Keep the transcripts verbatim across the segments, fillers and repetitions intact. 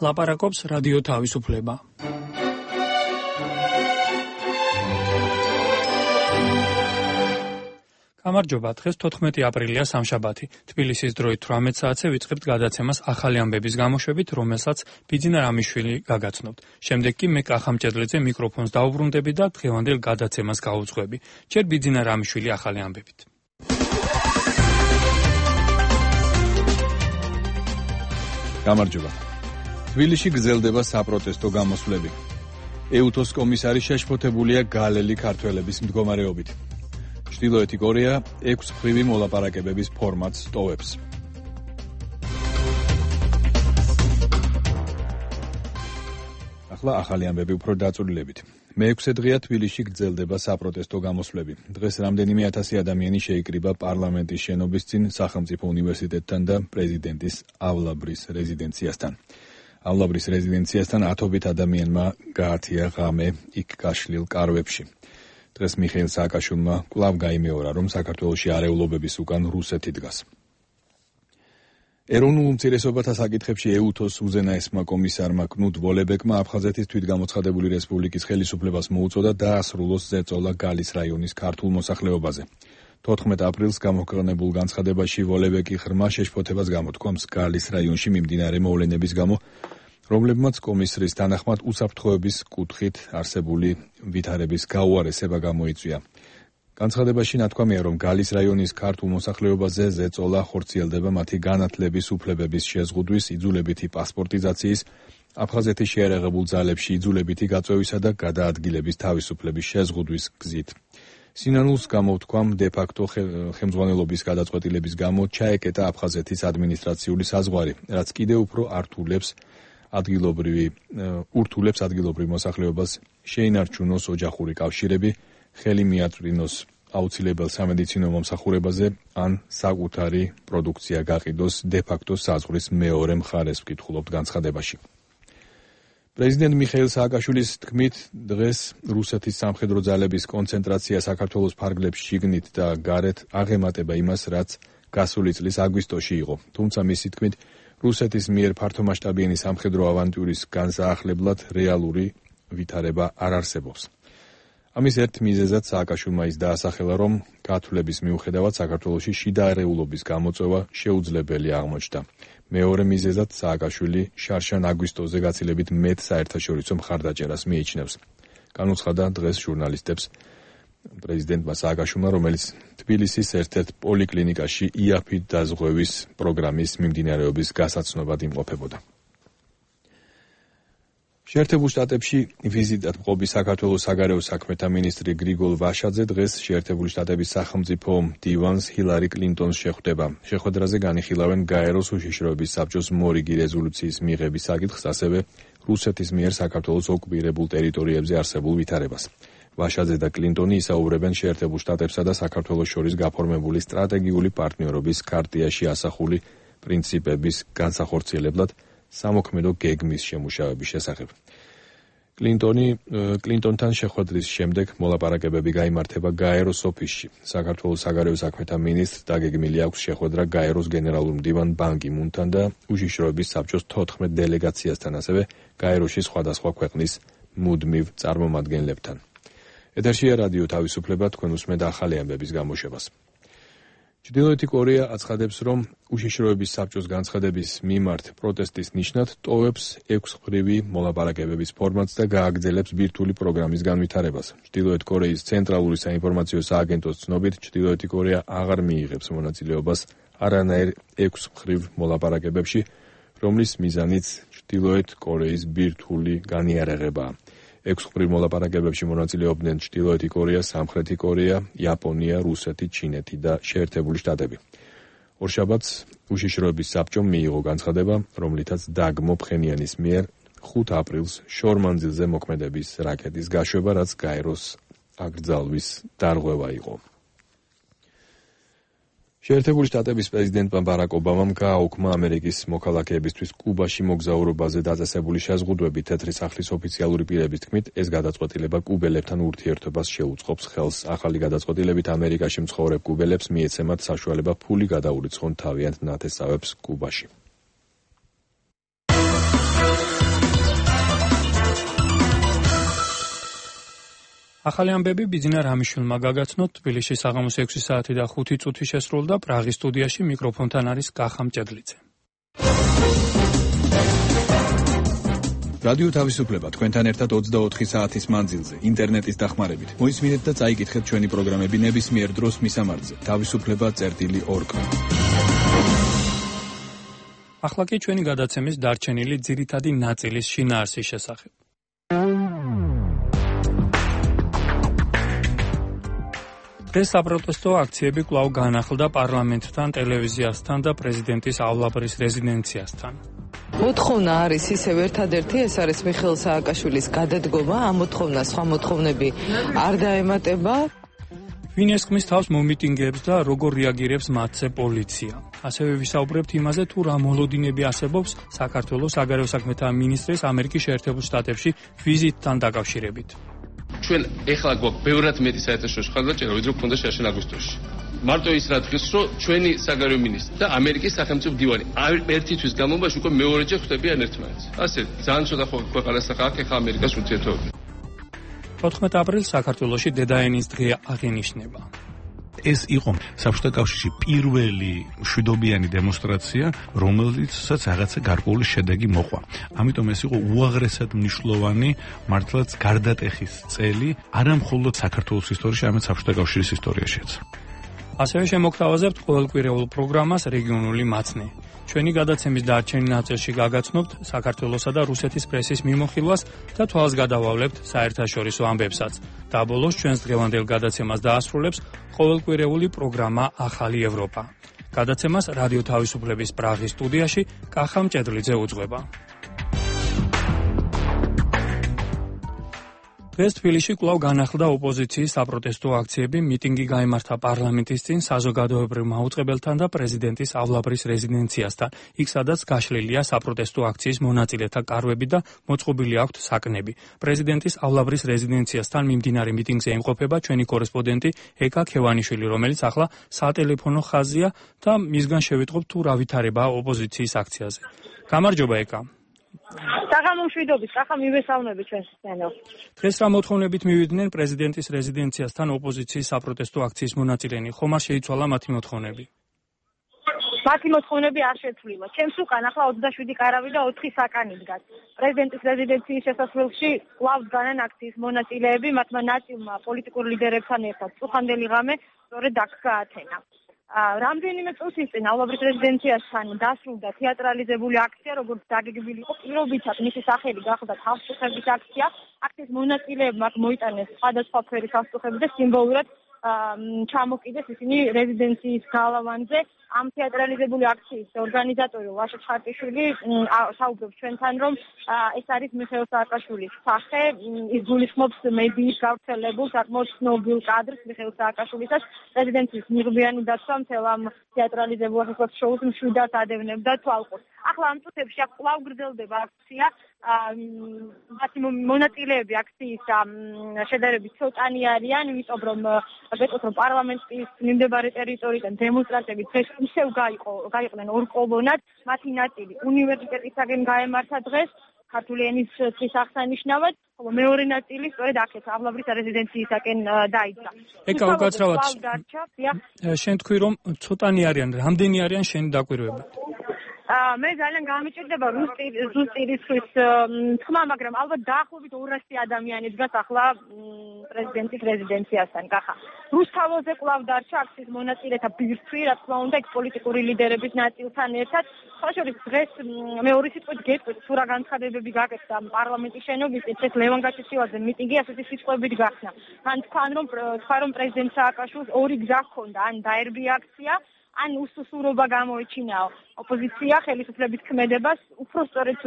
ლაპარაკობს რადიო თავისუფლება. გამარჯობა, დღეს თოთხმეტი აპრილია სამშაბათი. თბილისის დროით თვრამეტ საათზე ვიწყებთ გადაცემას ახალი ამბების გამოშვებით, რომელსაც ბიძინა რამიშვილი გაგაცნობთ. შემდეგ კი მე კახამჭედლიძე მიკროფონს დაუბრუნდები და დღევანდელ გადაცემას გაუძღვები. ჯერ ბიძინა რამიშვილი ახალი ამბებით. გამარჯობა. თბილისში გრძელდება საპროტესტო გამოსვლები. ეუთოს კომისარი შეშფოთებულია გალელი ქართველების მდგომარეობით. ჩრდილოეთი კორეა ექვსმხრივი მოლაპარაკებების ფორმატს ტოვებს. ახლა ახალი ამბები უფრო დაწვრილებით. მეექვსე დღეა თბილისში გრძელდება საპროტესტო გამოსვლები. დღეს რამდენიმე ათასი ადამიანი შეიკრიბა პარლამენტის შენობის წინ სახელმწიფო უნივერსიტეტთან და პრეზიდენტის ავლაბრის რეზიდენციასთან. ავლაბრის რეზიდენციასთან ათობით ადამიანმა გაათია ღამე იქ გაშლილ კარვებში. დღეს მიხეილ სააკაშვილმა კვლავ გაიმეორა, რომ საქართველოში არეულობების უკან რუსეთი დგას. ეროვნულ უმცირესობათა საკითხებში ეუთოს უზენაესმა კომისარმა კნუდ ვოლებეკმა აფხაზეთის თვითგამოცხადებული რესპუბლიკის ხელისუფლებას მოუწოდა დაასრულოს ზეწოლა გალის რაიონის ქართულ მოსახლეობაზე. თოთხმეტ აპრილს გამოქვეყნებულ განცხადებაში ვოლებეკი ღრმა შეშფოთებას გამოთქვამს გალის რაიონში მიმდინარე მოვლენების გამო, რომლებმაც კომისრის თანახმად უსაფრთხოების კუთხით არსებული ვითარების გაუარესება გამოიწვია. განცხადებაში ნათქვამია, რომ გალის რაიონის ქართულ მოსახლეობაზე ზეწოლა ხორციელდება მათი განათლების უფლებების შეზღუდვის, იძულებითი პასპორტიზაციის, აფხაზეთის შეიარაღებულ ძალებში იძულებითი გაწვევისა და გადაადგილების თავისუფლების შეზღუდვის გზით. სინანულს გამოვთქვამ დე-ფაქტო ხელმძღვანელობის გადაწყვეტილების გამო ჩაეკეტა აფხაზეთის ადმინისტრაციული საზღვარი, რაც კიდევ უფრო ართულებს ადგილობრივი ურთულებს ადგილობრივ მოსახლეობას შეინარჩუნოს ოჯახური კავშირები, ხელი მიაწვრინოს აუცილებელ სამედიცინო მომსახურებაზე, ან საკუთარი პროდუქცია გაყიდოს დე-ფაქტო საზღვრის მეორე მხარეს, ვკითხულობთ განცხადებაში. პრეზიდენტ მიხეილ სააკაშვილის თქმით, დღეს რუსეთის სამხედრო ძალების კონცენტრაცია საქართველოს ფარგლებში შიგნით და გარეთ აღემატება იმას, რაც გასული წლის აგვისტოში იყო. თუმცა მისი თქმით, რუსეთის მიერ ფართომასშტაბიანი სამხედრო ავანტიურის განსაახლებლად რეალური ვითარება არ არსებობს. ამის ერთ მიზეზად სააკაშვილმა ის დაასახელა, რომ გათვლების მიუხედავად საქართველოში შიდა არეულობის გამოწვევა შეუძლებელი აღმოჩნდა. მეორე მიზეზად სააკაშვილი შარშან აგვისტოზე გაცილებით მეტ საერთაშორისო მხარდაჭერას მიიჩნევს. განუცხადა დღეს ჟურნალისტებს პრეზიდენტმა სააკაშვილმა, რომელიც თბილისის ერთ-ერთ პოლიკლინიკაში იაფით დაზღვევის პროგრამის მიმდინარეობის გასაცნობად იმყოფებოდა. შეერთებულ შტატებში ვიზიტად მყოფი საქართველოს საგარეო საქმეთა მინისტრი გრიგოლ ვაშაძე დღეს შეერთებული შტატების სახელმწიფო მდივანს ჰილარი კლინტონს შეხვდება. შეხვედრაზე განიხილავენ გაეროს უშიშროების საბჭოს მორიგი რეზოლუციის მიღების საკითხს, ასევე რუსეთის მიერ საქართველოს ოკუპირებულ ტერიტორიებზე არსებულ ვითარებას. ვაშაძე და კლინტონი ისაუბრებენ შეერთებულ შტატებსა და საქართველოს შორის გაფორმებული სტრატეგიული პარტნიორობის ქარტიაში ასახული პრინციპების განსახორციელებლად სამოქმედო გეგმის შემუშავების შესახებ. კლინტონი კლინტონთან შეხვედრის შემდეგ მოლაპარაკებები გაიმართება გაეროს ოფისში. საქართველოს საგარეო საქმეთა მინისტრს დაგეგმილი აქვს შეხვედრა გაეროს გენერალურ მდივან ბან კი მუნთან და უშიშროების საბჭოს თოთხმეტ დელეგაციასთან, ასევე გაეროში სხვადასხვა ქვეყნის მუდმივ წარმომადგენლებთან. ეთერშია რადიო თავისუფლება, თქვენ უსმენთ ახალი ამბების გამოშვებას. ჩრდილოეთი კორეა აცხადებს, რომ უშიშროების საბჭოს განცხადების მიმართ პროტესტის ნიშნად ტოვებს ექვსმხრივი მოლაპარაკებების ფორმატს და გააგრძელებს ბირთვული პროგრამის განვითარებას. ჩრდილოეთ კორეის ცენტრალური საინფორმაციო სააგენტოს ცნობით, ჩრდილოეთი კორეა აღარ მიიღებს მონაწილეობას არანაირ ექვსმხრივ მოლაპარაკებებში, რომლის მიზანიც ჩრდილოეთ კორეის ბირთვული განიარაღებაა. ექვსმხრივ მოლაპარაკებებში მონაწილეობდნენ ჩრდილოეთი კორეა, სამხრეთი კორეა, იაპონია, რუსეთი, ჩინეთი და შეერთებული შტატები. ორშაბათს უშიშროების საბჭომ მიიღო განცხადება, რომლითაც დაგმო ფხენიანის მიერ ხუთ აპრილს შორმანძილზე მოქმედების რაკეტის გაშვება, რაც გაეროს აკრძალვის დარღვევა იყო. შეერთებული შტატების პრეზიდენტმა ბარაკ ობამამ გააუქმა ამერიკის მოქალაქეებისთვის კუბაში მოგზაურობაზე დაწესებული შეზღუდვები. თეთრი სახლის ოფიციალური პირების თქმით, ეს გადაწყვეტილება კუბელებთან ურთიერთობას შეუწყობს ხელს. ახალი გადაწყვეტილებით ამერიკაში მცხოვრებ კუბელებს მიეცემათ საშუალება ფული გადაურიცხონ თავიანთ ნათესავებს კუბაში. ახალი ამბები ბიძინა რამიშვილმა გაგაცნოთ. თბილისში საღამოს ექვსი საათი და ხუთი წუთი შესრულდა. პრაღის სტუდიაში მიკროფონთან არის კახა მჭედლიძე. რადიო თავისუფლება თქვენთან ერთად ოცდაოთხი საათის მანძილზე, ინტერნეტის დახმარებით. მოისმინეთ და წაიკითხეთ ჩვენი პროგრამები ნებისმიერ დროს მისამართზე. თავისუფლება წერტილი ორ კა. ახლა კი ჩვენი გადაცემის დარჩენილი ძირითადი ნაწილის შინაარსის შესახებ. დღეს საპროტესტო აქციები კვლავ განახლდა პარლამენტთან, ტელევიზიასთან და პრეზიდენტის ავლაბრის რეზიდენციასთან. მოთხოვნა არის ისევ ერთადერთი, ეს არის მიხეილ სააკაშვილის გადადგომა. ამ მოთხოვნას სხვა მოთხოვნები არ დაემატება. ვინ ესხმის თავს მომიტინგეებს და როგორ რეაგირებს მათზე პოლიცია. ასევე ვისაუბრებთ იმაზე, თუ რა მოლოდინები არსებობს საქართველოს საგარეო საქმეთა მინისტრის ამერიკის შეერთებულ შტატებში ვიზიტთან დაკავშირებით. ჩვენ ეხლა გვაქვს ბევრად მეტი საერთაშორისო ხარდაჭერა, ვიდრე გვქონდა შერშენ აგვისტოში. მარტო ის რა დღეს, რომ ჩვენი საგარეო მინისტრი და ამერიკის სახელმწიფო მდივანი ერთი თვის განმავლობაში უკვე მეორეჯერ ხვდებიან ერთმანეთს. ასე ძალიან ცოტა ქვეყანას აქვს ეხლა ამერიკას ურთიერთობები. ოთხმეტი აპრილს საქართველოში დედაენის დღე აღინიშნება. ეს იყო საბჭოთა კავშირში პირველი მშვიდობიანი დემონსტრაცია, რომელიცაც რაღაცა გარკვეული შედეგი მოყვა. ამიტომ ეს იყო უაღრესად მნიშვნელოვანი, მართლაც გარდატეხის წელი, არა მხოლოდ საქართველოს ისტორიაში, არამედ საბჭოთა კავშირის ისტორიაშიც. ასევე შემოგთავაზებთ ყოველკვირეულ პროგრამას რეგიონული მაცნე. ჩვენი გადაცემის დარჩენილ ნაწილში გაგაცნობთ საქართველოსა და რუსეთის პრესის მიმოხილვას და თვალს გადავავლებთ საერთაშორისო ამბებსაც. და ბოლოს ჩვენს დღევანდელ გადაცემას დაასრულებს ყოველკვირეული პროგრამა ახალი ევროპა. გადაცემას რადიო თავისუფლების პრაღის სტუდიაში კახა მჭედლიძე უძღვება. დღეს თბილისში კვლავ განახლდა ოპოზიციის საპროტესტო აქციები, მიტინგი გაიმართა პარლამენტის წინ, საზოგადოებრივ მაუწყებელთან და პრეზიდენტის ავლაბრის რეზიდენციასთან, იქ სადაც გაშლილია საპროტესტო აქციის მონაწილეთა კარვები და მოწყობილი აქვთ საკნები. პრეზიდენტის ავლაბრის რეზიდენციასთან მიმდინარე მიტინგზე იმყოფება ჩვენი კორესპონდენტი ეკა ქევანიშვილი, რომელიც ახლა სატელეფონო ხაზია და მისგან შევიტყობ თუ რა ვითარებაა ოპოზიციის აქციაზე. გამარჯობა ეკა. საღამომშვიდობის, კახა მივესალმები ჩვენს სცენას. დღეს რა მოთხოვნებით მივიდნენ პრეზიდენტის რეზიდენციასთან ოპოზიციის საპროტესტო აქციის მონაწილენი, ხომ არ შეიცვალა მათი მოთხოვნები? მათი მოთხოვნები არ შეცვლილა. ჩემს უკან ახლა ოცდაშვიდი კარავი და ოთხი საკანი დგას. პრეზიდენტის რეზიდენციის შესასვლელში კვლავ დგანან აქციის მონაწილეები, მათმა ნაწილმა პოლიტიკურ ლიდერებთან ერთად წუხანდელი ღამე სწორედ აქ გაათენა. რამდენიმე წუთის წინ ავლაბრის რეზიდენციასთან დასრულდა თეატრალიზებული აქცია, როგორც დაგეგმილი იყო, პირობითად მისი სახელი გახდა თავშეყრების აქცია. აქციის მონაწილეებმა აქ მოიტანეს სხვადასხვა ფერის ავტოხები და სიმბოლურად ჩამოკიდეს ისინი რეზიდენციის გალავანზე. ამ თეატრალიზებული აქციის ორგანიზატორი ლაშა ჩხარტიშვილი საუბრობს ჩვენთან, რომ ეს არის მიხეილ სააკაშვილის სახე, ის გულისხმობს მედიის გავრცელებულ საკმაოდ ცნობილ კადრს მიხეილ სააკაშვილისას. რეზიდენციის მიღბიანი დაცვა მთელ ამ თეატრალიზებულ შოუს მშვიდად ადევნებდა თვალყურს. ახლა ამ წუთებში აქ კვლავ გრძელდება აქცია. მათი მონაწილეები აქციის შედარებით ცოტანი არიან, იმიტომ რომ ვეტყოთ, რომ პარლამენტის მიმდებარე ტერიტორიიდან დემონსტრანტები დღეს ისევ გაიყვნენ ორ კოლონად, მათი ნაწილი უნივერსიტეტისაგან გაემართა დღეს ქართული ენის დღის აღსანიშნავად, ხოლო მეორე ნაწილი სწორედ აქეთ ავლაბრის რეზიდენციისაკენ დაიძრა. ეკა უკაცრავად შენ თქვი რომ ცოტანი არიან, რამდენი არიან შენი დაკვირვებით? მე ძალიან გამიჭირდება ზუსტი რიცხვის თქმა, მაგრამ ალბათ დაახლოებით ორასი ადამიანი დგას ახლა პრეზიდენტის რეზიდენციასთან. კახა რუსთაველზე კვლავ დარჩა აქციის მონაწილეთა ბირთვი, რა თქმა უნდა, იქ პოლიტიკური ლიდერების ნაწილთან ერთად. ხაშორის დღეს მეორე სიტყვით გეტყვით, თუ რა განცხადებები გაკეთდა პარლამენტის შენობის წინ, ეს ლევან გაჩეჩილაძე მიტინგი ასეთი სიტყვებით გახსნა. მან თქვა, რომ თქვა რომ პრეზიდენტ სააკაშვილს ორი გზა ჰქონდა, ან დაერბია აქცია, ან უსუსურობა გამოეჩინაო ოპოზიცია ხელისუფლების ქმედებას, უფრო სწორედ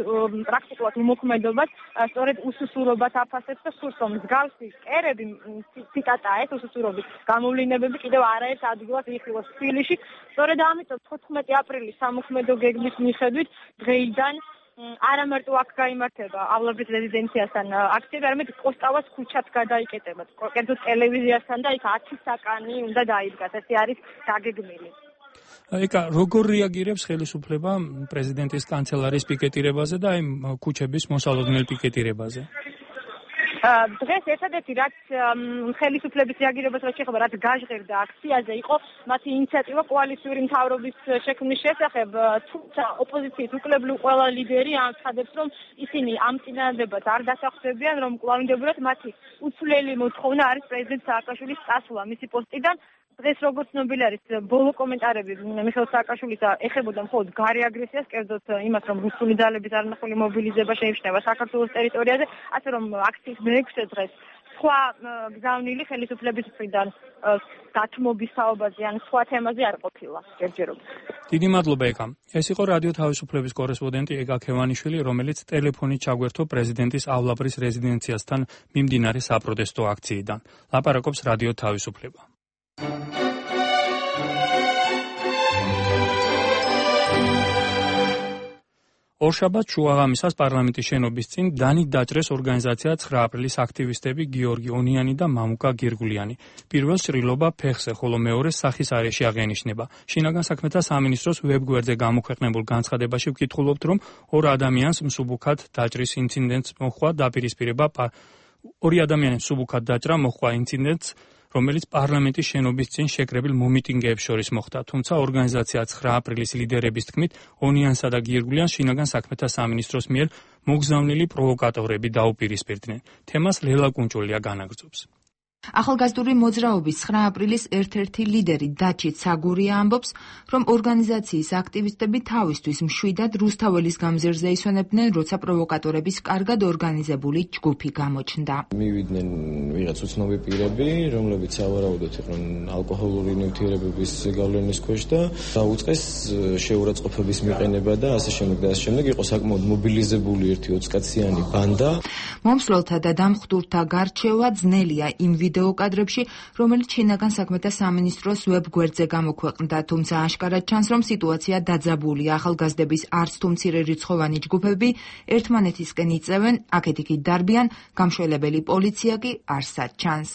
პრაქტიკულად უმოქმედობას, სწორედ უსუსურობას აფასებს და სურს რომ მსგავსი კერები, ციტატაა ეს, უსუსურობის გამოვლინებები კიდევ არაერთ ადგილას იხილოს თბილისში. სწორედ ამიტომ თოთხმეტი აპრილის სამოქმედო გეგმის მიხედვით დღეიდან არა მარტო აქ გაიმართება ავლაბრის რეზიდენციასთან აქციები, არამედ კოსტავას ქუჩაც გადაიკეტება. კერძოდ ტელევიზიასთან და იქ ათი საკანი უნდა დაიდგას. ეს არის დაგეგმილი. ეკა, როგორ რეაგირებს ხელისუფლება პრეზიდენტის კანცელარიის პიკეტირებაზე და აი ქუჩების მოსალოდნელ პიკეტირებაზე? დღეს ერთადერთი რაც ხელისუფლების რეაგირებას რაც შეეხება, რაც გაჟღერდა აქციაზე, იყო მათი ინიციატივა კოალიციური მთავრობის შექმნის შესახებ, თუმცა ოპოზიციის უკლებლივ ყველა ლიდერი ამცხადებს, რომ ისინი ამ წინადადებას არ დასახსებიან, რომ კვლავინდებურად მათი უცვლელი მოთხოვნა არის პრეზიდენტ სააკაშვილის წასვლა მისი პოსტიდან. დღეს როგორც ცნობილი არის, ბოლო კომენტარები მიხეილ სააკაშვილისა ეხებოდა მხოლოდ გარე აგრესიას, კერძოდ იმას, რომ რუსული ძალების არნახული მობილიზება შეიმჩნევა საქართველოს ტერიტორიაზე, ასე რომ აქციის მეექვსე დღეს სხვა გზავნილი ხელისუფლების მხრიდან დათმობის თაობაზე ან სხვა თემაზე არ ყოფილა ჯერჯერობით. დიდი მადლობა ეკა. ეს იყო რადიო თავისუფლების კორესპონდენტი ეკა ქევანიშვილი, რომელიც ტელეფონით ჩაგვერთო პრეზიდენტის ავლაბრის რეზიდენციასთან მიმდინარე საპროტესტო აქციიდან. ლაპარაკობს რადიო თავისუფლება. ორშაბათს შუაღამისას პარლამენტის შენობის წინ დანით დაჭრეს ორგანიზაცია ცხრა აპრილის აქტივისტები გიორგი ონიანი და მამუკა გირგულიანი. პირველ ჭრილობა ფეხზე, ხოლო მეორეს სახის არეში აღენიშნება. შინაგან საქმეთა სამინისტროს ვებგვერდზე გამოქვეყნებულ განცხადებაში ვკითხულობთ, რომ ორ ადამიანს მსუბუქად დაჭრის ინციდენტს მოჰყვა დაპირისპირება ორი ადამიანის მსუბუქად დაჭრა მოჰყვა ინციდენტს, რომელიც პარლამენტის შენობის წინ შეკრებილ მომიტინგეებს შორის მოხდა, თუმცა ორგანიზაცია ცხრა აპრილის ლიდერების თქმით, ონიანსა და გირგულიანს შინაგან საქმეთა სამინისტროს მიერ მოგზავნილი პროვოკატორები დაუპირისპირდნენ. თემას ლელა კუნჭულია განაგრძობს. ახალგაზრდული მოძრაობის ცხრა აპრილის ერთ-ერთი ლიდერი დაჩით საგურია ამბობს, რომ ორგანიზაციის აქტივისტები თავისთვის მშვიდად რუსთაველის გამზირზე ისვენებდნენ, როცა პროვოკატორების კარგად ორგანიზებული ჯგუფი გამოჩნდა. მივიდნენ ვიღაც უცნობი პირები, რომლებიც სავარაუდოდ იყვნენ ალკოჰოლური ნივთიერებების გავლენის ქვეშ და დაუწყეს შეურაცხყოფების მიყენება და ასე შემდეგ და ასე შემდეგ. იყო საკმაოდ მობილიზებული ერთი ოცკაციანი ბანდა. მომსვლელთა და დამხტურთა გარჩევა ძნელია იმ ვიდეო კადრებში, რომელიც შინაგან საქმეთა სამინისტროს ვებგვერდზე გამოქვეყნდა, თუმცა აშკარად ჩანს, რომ სიტუაცია დაძაბულია. ახალგაზრდების არც თუ მცირე რიცხოვანი ჯგუფები ერთმანეთისკენ იწევენ, აქეთ-იქით დარბიან, გამშველებელი პოლიცია კი არსად ჩანს.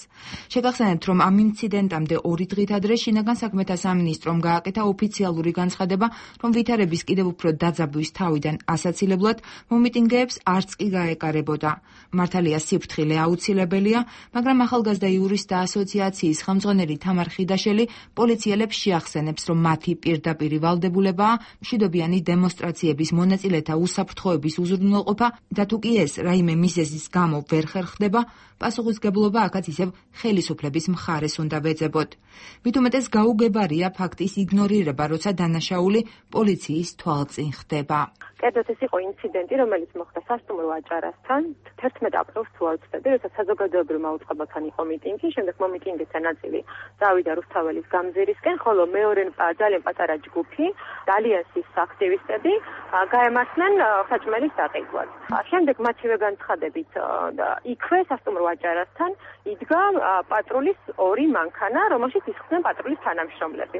შეგახსენებთ, რომ ამ ინციდენტამდე ორი დღით ადრე შინაგან საქმეთა სამინისტრომ გააკეთა ოფიციალური განცხადება, რომ ვითარების კიდევ უფრო დაძაბვის თავიდან ასაცილებლად მომიტინგეებს არც კი გაეკარებოდა. მართალია სიფრთხილე აუცილებელია, მაგრამ ახალგაზრდა იურისტთა ასოციაციის ხელმძღვანელი თამარ ხიდაშელი პოლიციელებს შეახსენებს, რომ მათი პირდაპირი ვალდებულებაა მშვიდობიანი დემონსტრაციების მონაწილეთა უსაფრთხოების უზრუნველყოფა და თუ კი ეს რაიმე მიზეზის გამო ვერ ხერხდება, პასუხისგებლობა აქაც ისევ ხელისუფლების მხარეს უნდა ვეძებოთ. მით უმეტეს გაუგებარია ფაქტის იგნორირება, როცა დანაშაული პოლიციის თვალწინ ხდება. კერძოდ ეს იყო ინციდენტი, რომელიც მოხდა სასტუმრო აჭარასთან თერთმეტ აპრილს თუ არ ვცდები, როცა საზოგადოებრივმა უწყებასთან იყო მიტინგი, შემდეგ მომიტინგეთა ნაწილი წავიდა რუსთაველის გამზირისკენ, ხოლო მეორე ძალიან პატარა ჯგუფი, ალიანსის აქტივისტები გაემართნენ საჭმელის დაყიდვას. შემდეგ მათივე განცხადებით და იქვე სასტუმრო აჭარასთან იდგა პატრულის ორი მანქანა, რომელშიც ისხდნენ პატრულის თანამშრომლები.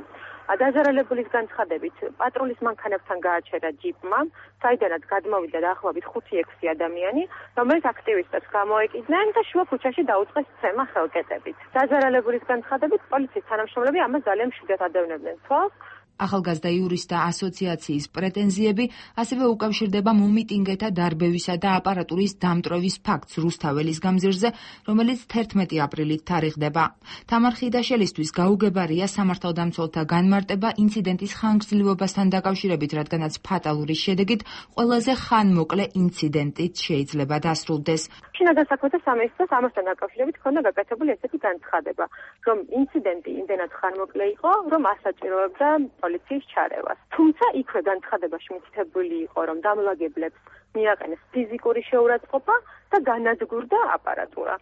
დაზარალებულის განცხადებით პატრულის მანქანებთან გააჩერა ჯიპმა, საიდანაც გადმოვიდა დაახლოებით ხუთი ექვსი ადამიანი, რომელიც აქტივისტებს გამოეკიდნენ და შუა ქუჩაში დაუწყეს ცემა ხელკეტებით. დაზარალებულის განცხადებით პოლიციის თანამშრომლები ამას ძალიან მშვიდად ადევნებდნენ თვალს. ახალგაზრდა იურისტთა ასოციაციის პრეტენზიები ასევე უკავშირდება მომიტინგეთა დარბევისა და აპარატურის დამტვრევის ფაქტს რუსთაველის გამზირზე, რომელიც თერთმეტი აპრილით თარიღდება. თამარ ხიდაშელისთვის გაუგებარია სამართალდამცველთა განმარტება ინციდენტის ხანგრძლივობასთან დაკავშირებით, რადგანაც ფატალური შედეგით ყველაზე ხანმოკლე ინციდენტით შეიძლება დასრულდეს. შინაგან საქმეთა სამინისტროს ამასთან დაკავშირებით ჰქონდა გაკეთებული ესეთი განცხადება, რომ ინციდენტი იმდენად ხანმოკლე იყო, რომ ასაჭიროებდა პოლიციის ჩარევას. თუმცა იქვე განცხადებაში მითითებული იყო, რომ დამლაგებლებს მიაყენეს ფიზიკური შეურაცხყოფა და განადგურდა აპარატურა.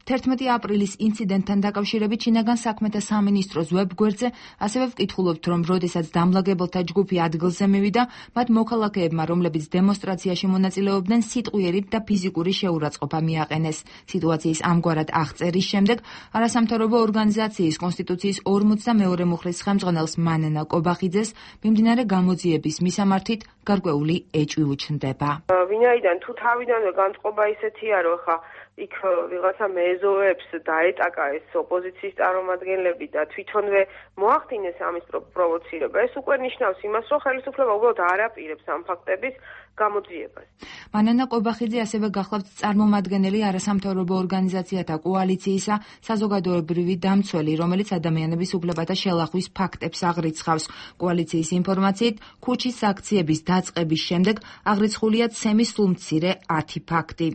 თერთმეტი აპრილის ინციდენტთან დაკავშირებით შინაგან საქმეთა სამინისტროს ვებგვერდზე ასევე ვკითხულობთ, რომ როდესაც დამლაგებელთა ჯგუფი ადგილზე მივიდა, მათ მოქალაქეებმა, რომლებიც დემონსტრაციაში მონაწილეობდნენ, სიტყვიერით და ფიზიკური შეურაცხყოფა მიაყენეს. სიტუაციის ამგვარად აღწერის შემდეგ არასამთავრობო ორგანიზაციის კონსტიტუციის ორმოცდამეორე მუხლის ხელმძღვანელს მანანა კობახიძეს მიმდინარე გამოძიების მისამართით გარკვეული ეჭვი უჩნდება. ვინაიდან თუ თავიდანვე განწყობა ისეთია, რომ ხა იქ ვიღაცა მეზოებს დაეტაკა ეს ოპოზიციის წარმომადგენლები და თვითონვე მოახდინეს ამის პროვოცირება, ეს უკვე ნიშნავს იმას, რომ ხელისუფლება უბრალოდ არ აპირებს ამ ფაქტების გამოძიებას. მანანა ყობახიძე ასევე გახლავთ წარმომადგენელი არასამთავრობო ორგანიზაციათა კოალიციისა საზოგადოებრივი დამცველი, რომელიც ადამიანების უფლებათა შელახვის ფაქტებს აღრიცხავს. კოალიციის ინფორმაციით, ქუჩის აქციების დაწყების შემდეგ აღრიცხულია ცემის სულმცირე ათი ფაქტი.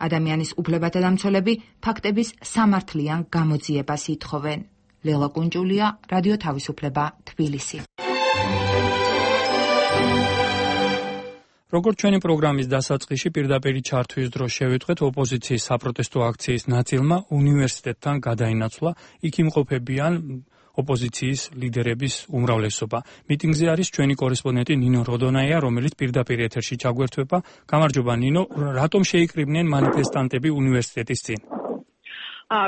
ადამიანის უფლებათა დამცველები ფაქტების სამართლიან გამოძიებას ითხოვენ. ლელა კუნჭულია, რადიო თავისუფლება, თბილისი. როგორც ჩვენი პროგრამის დასაწყისში პირდაპირ ჩართვის დროს შევიტყვეთ, ოპოზიციის საპროტესტო აქციის ნაწილმა უნივერსიტეტთან გადაინაცვლა, იქ იმყოფებიან ოპოზიციის ლიდერების უმრავლესობა. მიტინგზე არის ჩვენი კორესპონდენტი ნინო როდონაია, რომელიც პირდაპირ ეთერში ჩაგვერთვება. გამარჯობა ნინო, რატომ შეიკრიბნენ მანიფესტანტები უნივერსიტეტის წინ?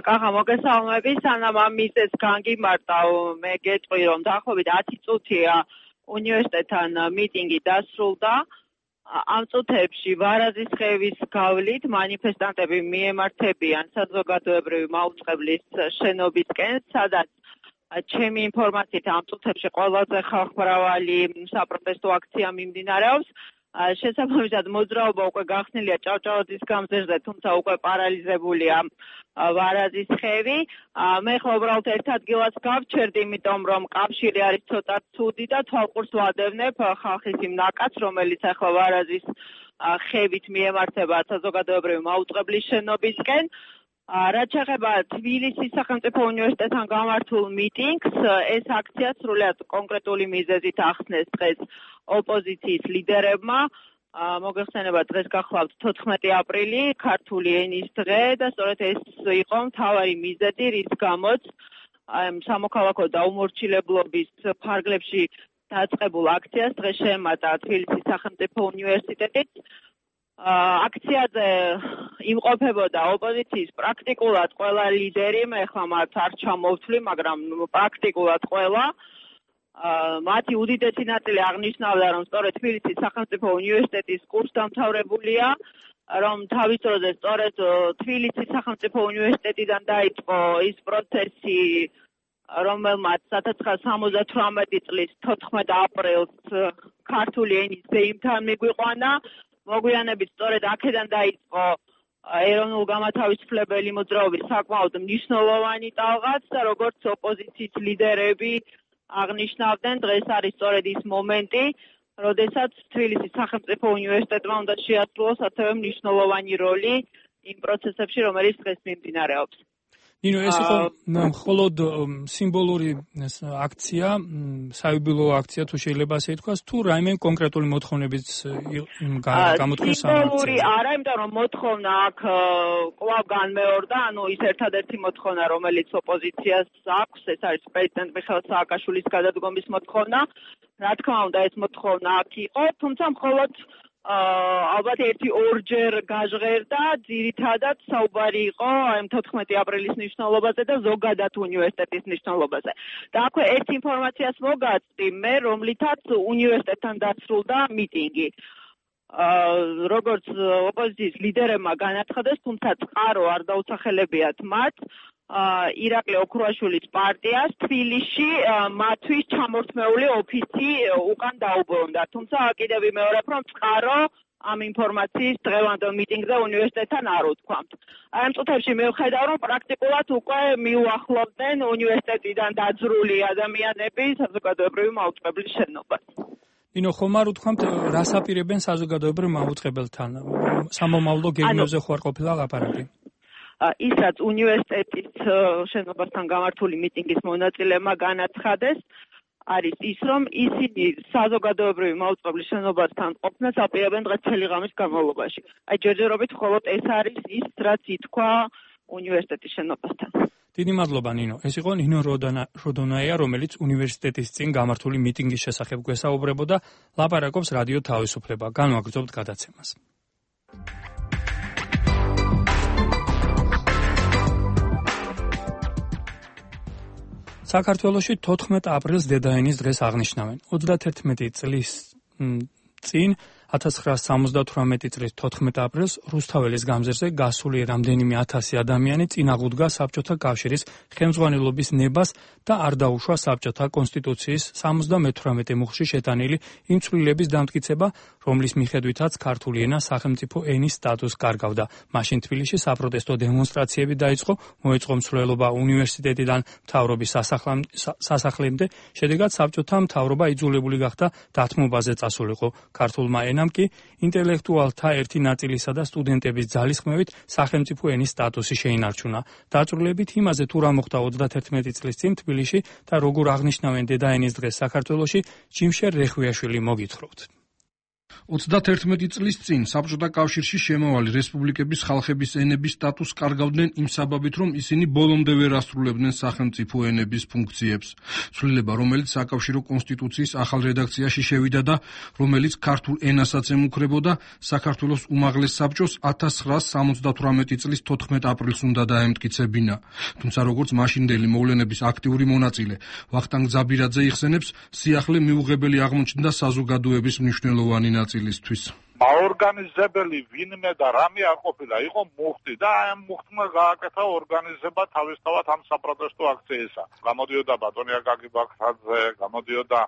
კახა მოგესალმები, სანამ ამ მიზეზს განგიმარტავ, მე გეტყვი, რომ დაახლოებით ათი წუთია უნივერსიტეტთან მიტინგი დასრულდა. ამ წუთებში ვარაზისხევის გავლით მანიფესტანტები მიემართებიან საზოგადოებრივი მაუწყებლის შენობისკენ, სადაც ჩემი ინფორმაციით ამ წუთებში ყველაზე ხალხმრავალი საპროტესტო აქცია მიმდინარეობს. შესაბამისად მოძრაობა უკვე გახსნილია ჭავჭავაძის გამზირზე, თუმცა უკვე პარალიზებულია ვარაზისხევი. მე ხო უბრალოდ ერთ ადგილას გავჩერდი, იმიტომ რომ კავშირი არის ცოტა ცუდი და თვალყურს ვადევნებ ხალხის იმ ნაკადს, რომელიც ახლა ვარაზის ხევით მიემართება საზოგადოებრივი მაუწყებლის შენობისკენ. რაც შეეხება თბილისის სახელმწიფო უნივერსიტეტთან გამართულ მიტინგს, ეს აქცია სრულიად კონკრეტული მიზეზით ახსნეს დღეს ოპოზიციის ლიდერებმა. მოგეხსენება, დღეს გახლავთ თოთხმეტი აპრილი, ქართული ენის დღე და სწორედ ეს იყო მთავარი მიზეზი, რის გამოც სამოქალაქო დაუმორჩილებლობის ფარგლებში დაწყებულ აქციას დღეს შეემატა თბილისის სახელმწიფო უნივერსიტეტით. აქციაზე იმყოფებოდა ოპოზიციის პრაქტიკულად ყველა ლიდერი, მე ხა მათ არ ჩამოვთვლი, მაგრამ პრაქტიკულად ყველა. მათი უდიდესი ნაწილი აღნიშნავდა, რომ სწორედ თბილისის სახელმწიფო უნივერსიტეტის კურსდამთავრებულია, რომ თავის დროზე სწორედ თბილისის სახელმწიფო უნივერსიტეტიდან დაიწყო ის პროცესი, რომელმაც ორი ათას სამოცდათვრამეტი წლის თოთხმეტ აპრილს ქართული ენის ზეიმთან მიგვიყვანა. მოგვიანებით სწორედ აქედან დაიწყო ეროვნულ გამათავისუფლებელი მოძრაობის საკმაოდ მნიშვნელოვანი ტალღაც და როგორც ოპოზიციის ლიდერები აღნიშნავდნენ, დღეს არის სწორედ ის მომენტი, როდესაც თბილისის სახელმწიფო უნივერსიტეტმა უნდა შეასრულოს ასევე მნიშვნელოვანი როლი იმ პროცესებში, რომელიც დღეს მიმდინარეობს. ნინო, ეს იყო მხოლოდ სიმბოლური აქცია, საიუბილეო აქცია, თუ შეიძლება ასე ითქვას, თუ რაიმე კონკრეტული მოთხოვნებიც გამოთქვეს ამ აქციაზე? სიმბოლური არა, იმიტომ რომ მოთხოვნა აქ კვლავ განმეორდა, ანუ ის ერთადერთი მოთხოვნა, რომელიც ოპოზიციას აქვს, ეს არის პრეზიდენტ მიხეილ სააკაშვილის გადადგომის მოთხოვნა. რა თქმა უნდა, ეს მოთხოვნა აქ იყო, თუმცა მხოლოდ ალბათ ერთი ორჯერ გაჟღერდა, ძირითადად საუბარი იყო აი თოთხმეტი აპრილის მნიშვნელობაზე და ზოგადად უნივერსიტეტის მნიშვნელობაზე. და აქვე ერთ ინფორმაციას მოგაცდი მე, რომლითაც უნივერსიტეტთან დასრულდა მიტინგი. როგორც ოპოზიციის ლიდერებმა განაცხადეს, თუმცა წყარო არ დაუსახელებიათ მათ, ირაკლი ოქრუაშვილის პარტიას თბილისში მათთვის ჩამორთმეული ოფისი უკან დაუბრუნდა. თუმცა კიდევ ვიმეორებ, რომ წყარო ამ ინფორმაციის დღევანდელ მიტინგზე უნივერსიტეტთან არ უთქვამთ. ამ წუთებში მე ვხედავ, რომ პრაქტიკულად უკვე მიუახლოვდნენ უნივერსიტეტიდან დაძრული ადამიანები საზოგადოებრივი მაუწყებლის შენობას. ნინო, ხომ არ უთქვამთ, რას აპირებენ საზოგადოებრივ მაუწყებელთან? სამომავლო გეგმებზე ხო არ ყოფილა ლაპარაკი? ის რაც უნივერსიტეტის შენობასთან გამართული მიტინგის მონაწილეებმა განაცხადეს, არის ის, რომ ისინი საზოგადოებრივი მაუწყებლის შენობასთან ყოფნას აპირებენ დღეს წელი ღამის განმავლობაში. აი ჯერჯერობით მხოლოდ ეს არის ის, რაც ითქვა უნივერსიტეტის შენობასთან. დიდი მადლობა ნინო. ეს იყო ნინო როდონაია, რომელიც უნივერსიტეტის წინ გამართული მიტინგის შესახებ გვესაუბრებოდა, ლაპარაკობს რადიო თავისუფლება. განვაგრძობთ გადაცემას. საქართველოში თოთხმეტ აპრილს დედაენის დღეს აღნიშნავენ. ოცდაათერთმეტი წლის წინ ათას ცხრაასი სამოცდათვრამეტი წლის თოთხმეტ აპრილს რუსთაველის გამზირზე გასული რამდენიმე ათასი ადამიანი წინაღუდგა საბჭოთა კავშირის ხელმძღვანელობის ნებას და არ დაუშვა საბჭოთა კონსტიტუციის სამოცდამეთვრამეტე მუხლში შეტანილი იმ ცვლილების დამტკიცება, რომლის მიხედვითაც ქართული ენა სახელმწიფო ენის სტატუსს კარგავდა. მაშინ თბილისში საპროტესტო დემონსტრაციები დაიწყო, მოეწყო მსვლელობა უნივერსიტეტიდან მთავრობის სასახლემდე, შედეგად საბჭოთა მთავრობა იძულებული გახდა დათმობაზე წასულიყო. ქართულმა ენამ კი ინტელექტუალთა ერთი ნაწილისა და სტუდენტების ძალისხმევით სახელმწიფო ენის სტატუსი შეინარჩუნა. დაწვრილებით იმაზე თუ რა მოხდა ოცდაათერთმეტი წლის წინ თბილისში და როგორ აღნიშნავენ დედაენის დღეს საქართველოში, ჯიმშერ რეხვიაშვილი მოგითხრობთ. ოცდაათერთმეტი წლის წინ საბჭოთა კავშირში შემავალი რესპუბლიკების ხალხების ენების სტატუსს კარგავდნენ იმ საბაბით, რომ ისინი ბოლომდე ვერ ასრულებდნენ სახელმწიფო ენების ფუნქციებს. ცვლილება, რომელიც საკავშირო კონსტიტუციის ახალ რედაქციაში შევიდა და რომელიც ქართულ ენასაც ემუქრებოდა, საქართველოს უმაღლეს საბჭოს ათას ცხრაასი სამოცდათვრამეტი წლის თოთხმეტ აპრილს უნდა დაემტკიცებინა. თუმცა როგორც მაშინდელი მოვლენების აქტიური მონაწილე ვახტანგ ძაბირაძე იხსენებს, სიახლე მიუღებელი აღმოჩნდა საზოგადოების მნიშვნელოვანი ნაწილისთვის. აორგანიზებელი ვინმე და რამე არ ყოფილა, იყო მუხტი და ამ მუხტმა გააკეთა ორგანიზება თავისთავად ამ საპროტესტო აქციისა. გამოდიოდა ბატონი აკაკი ბაქრაძე, გამოდიოდა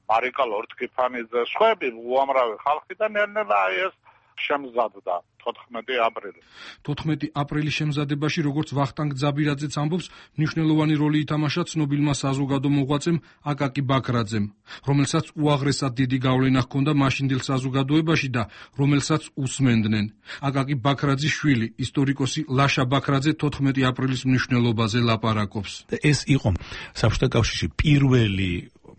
მარიკა ლორთქიფანიძე, სხვები უამრავი ხალხი და ნელ-ნელა აი ეს შემზადდა თოთხმეტი აპრილი. თოთხმეტი აპრილის შემზადებაში, როგორც ვახტანგ ძაბირაძეც ამბობს, მნიშვნელოვანი როლი ითამაშა ცნობილმა საზოგადო მოღვაწემ აკაკი ბაქრაძემ, რომელსაც უაღრესად დიდი გავლენა ჰქონდა მაშინდელ საზოგადოებაში და რომელსაც უსმენდნენ. აკაკი ბაქრაძის შვილი, ისტორიკოსი ლაშა ბაქრაძე თოთხმეტი აპრილის მნიშვნელობაზე ლაპარაკობს. ეს იყო საბჭოთა კავშირში პირველი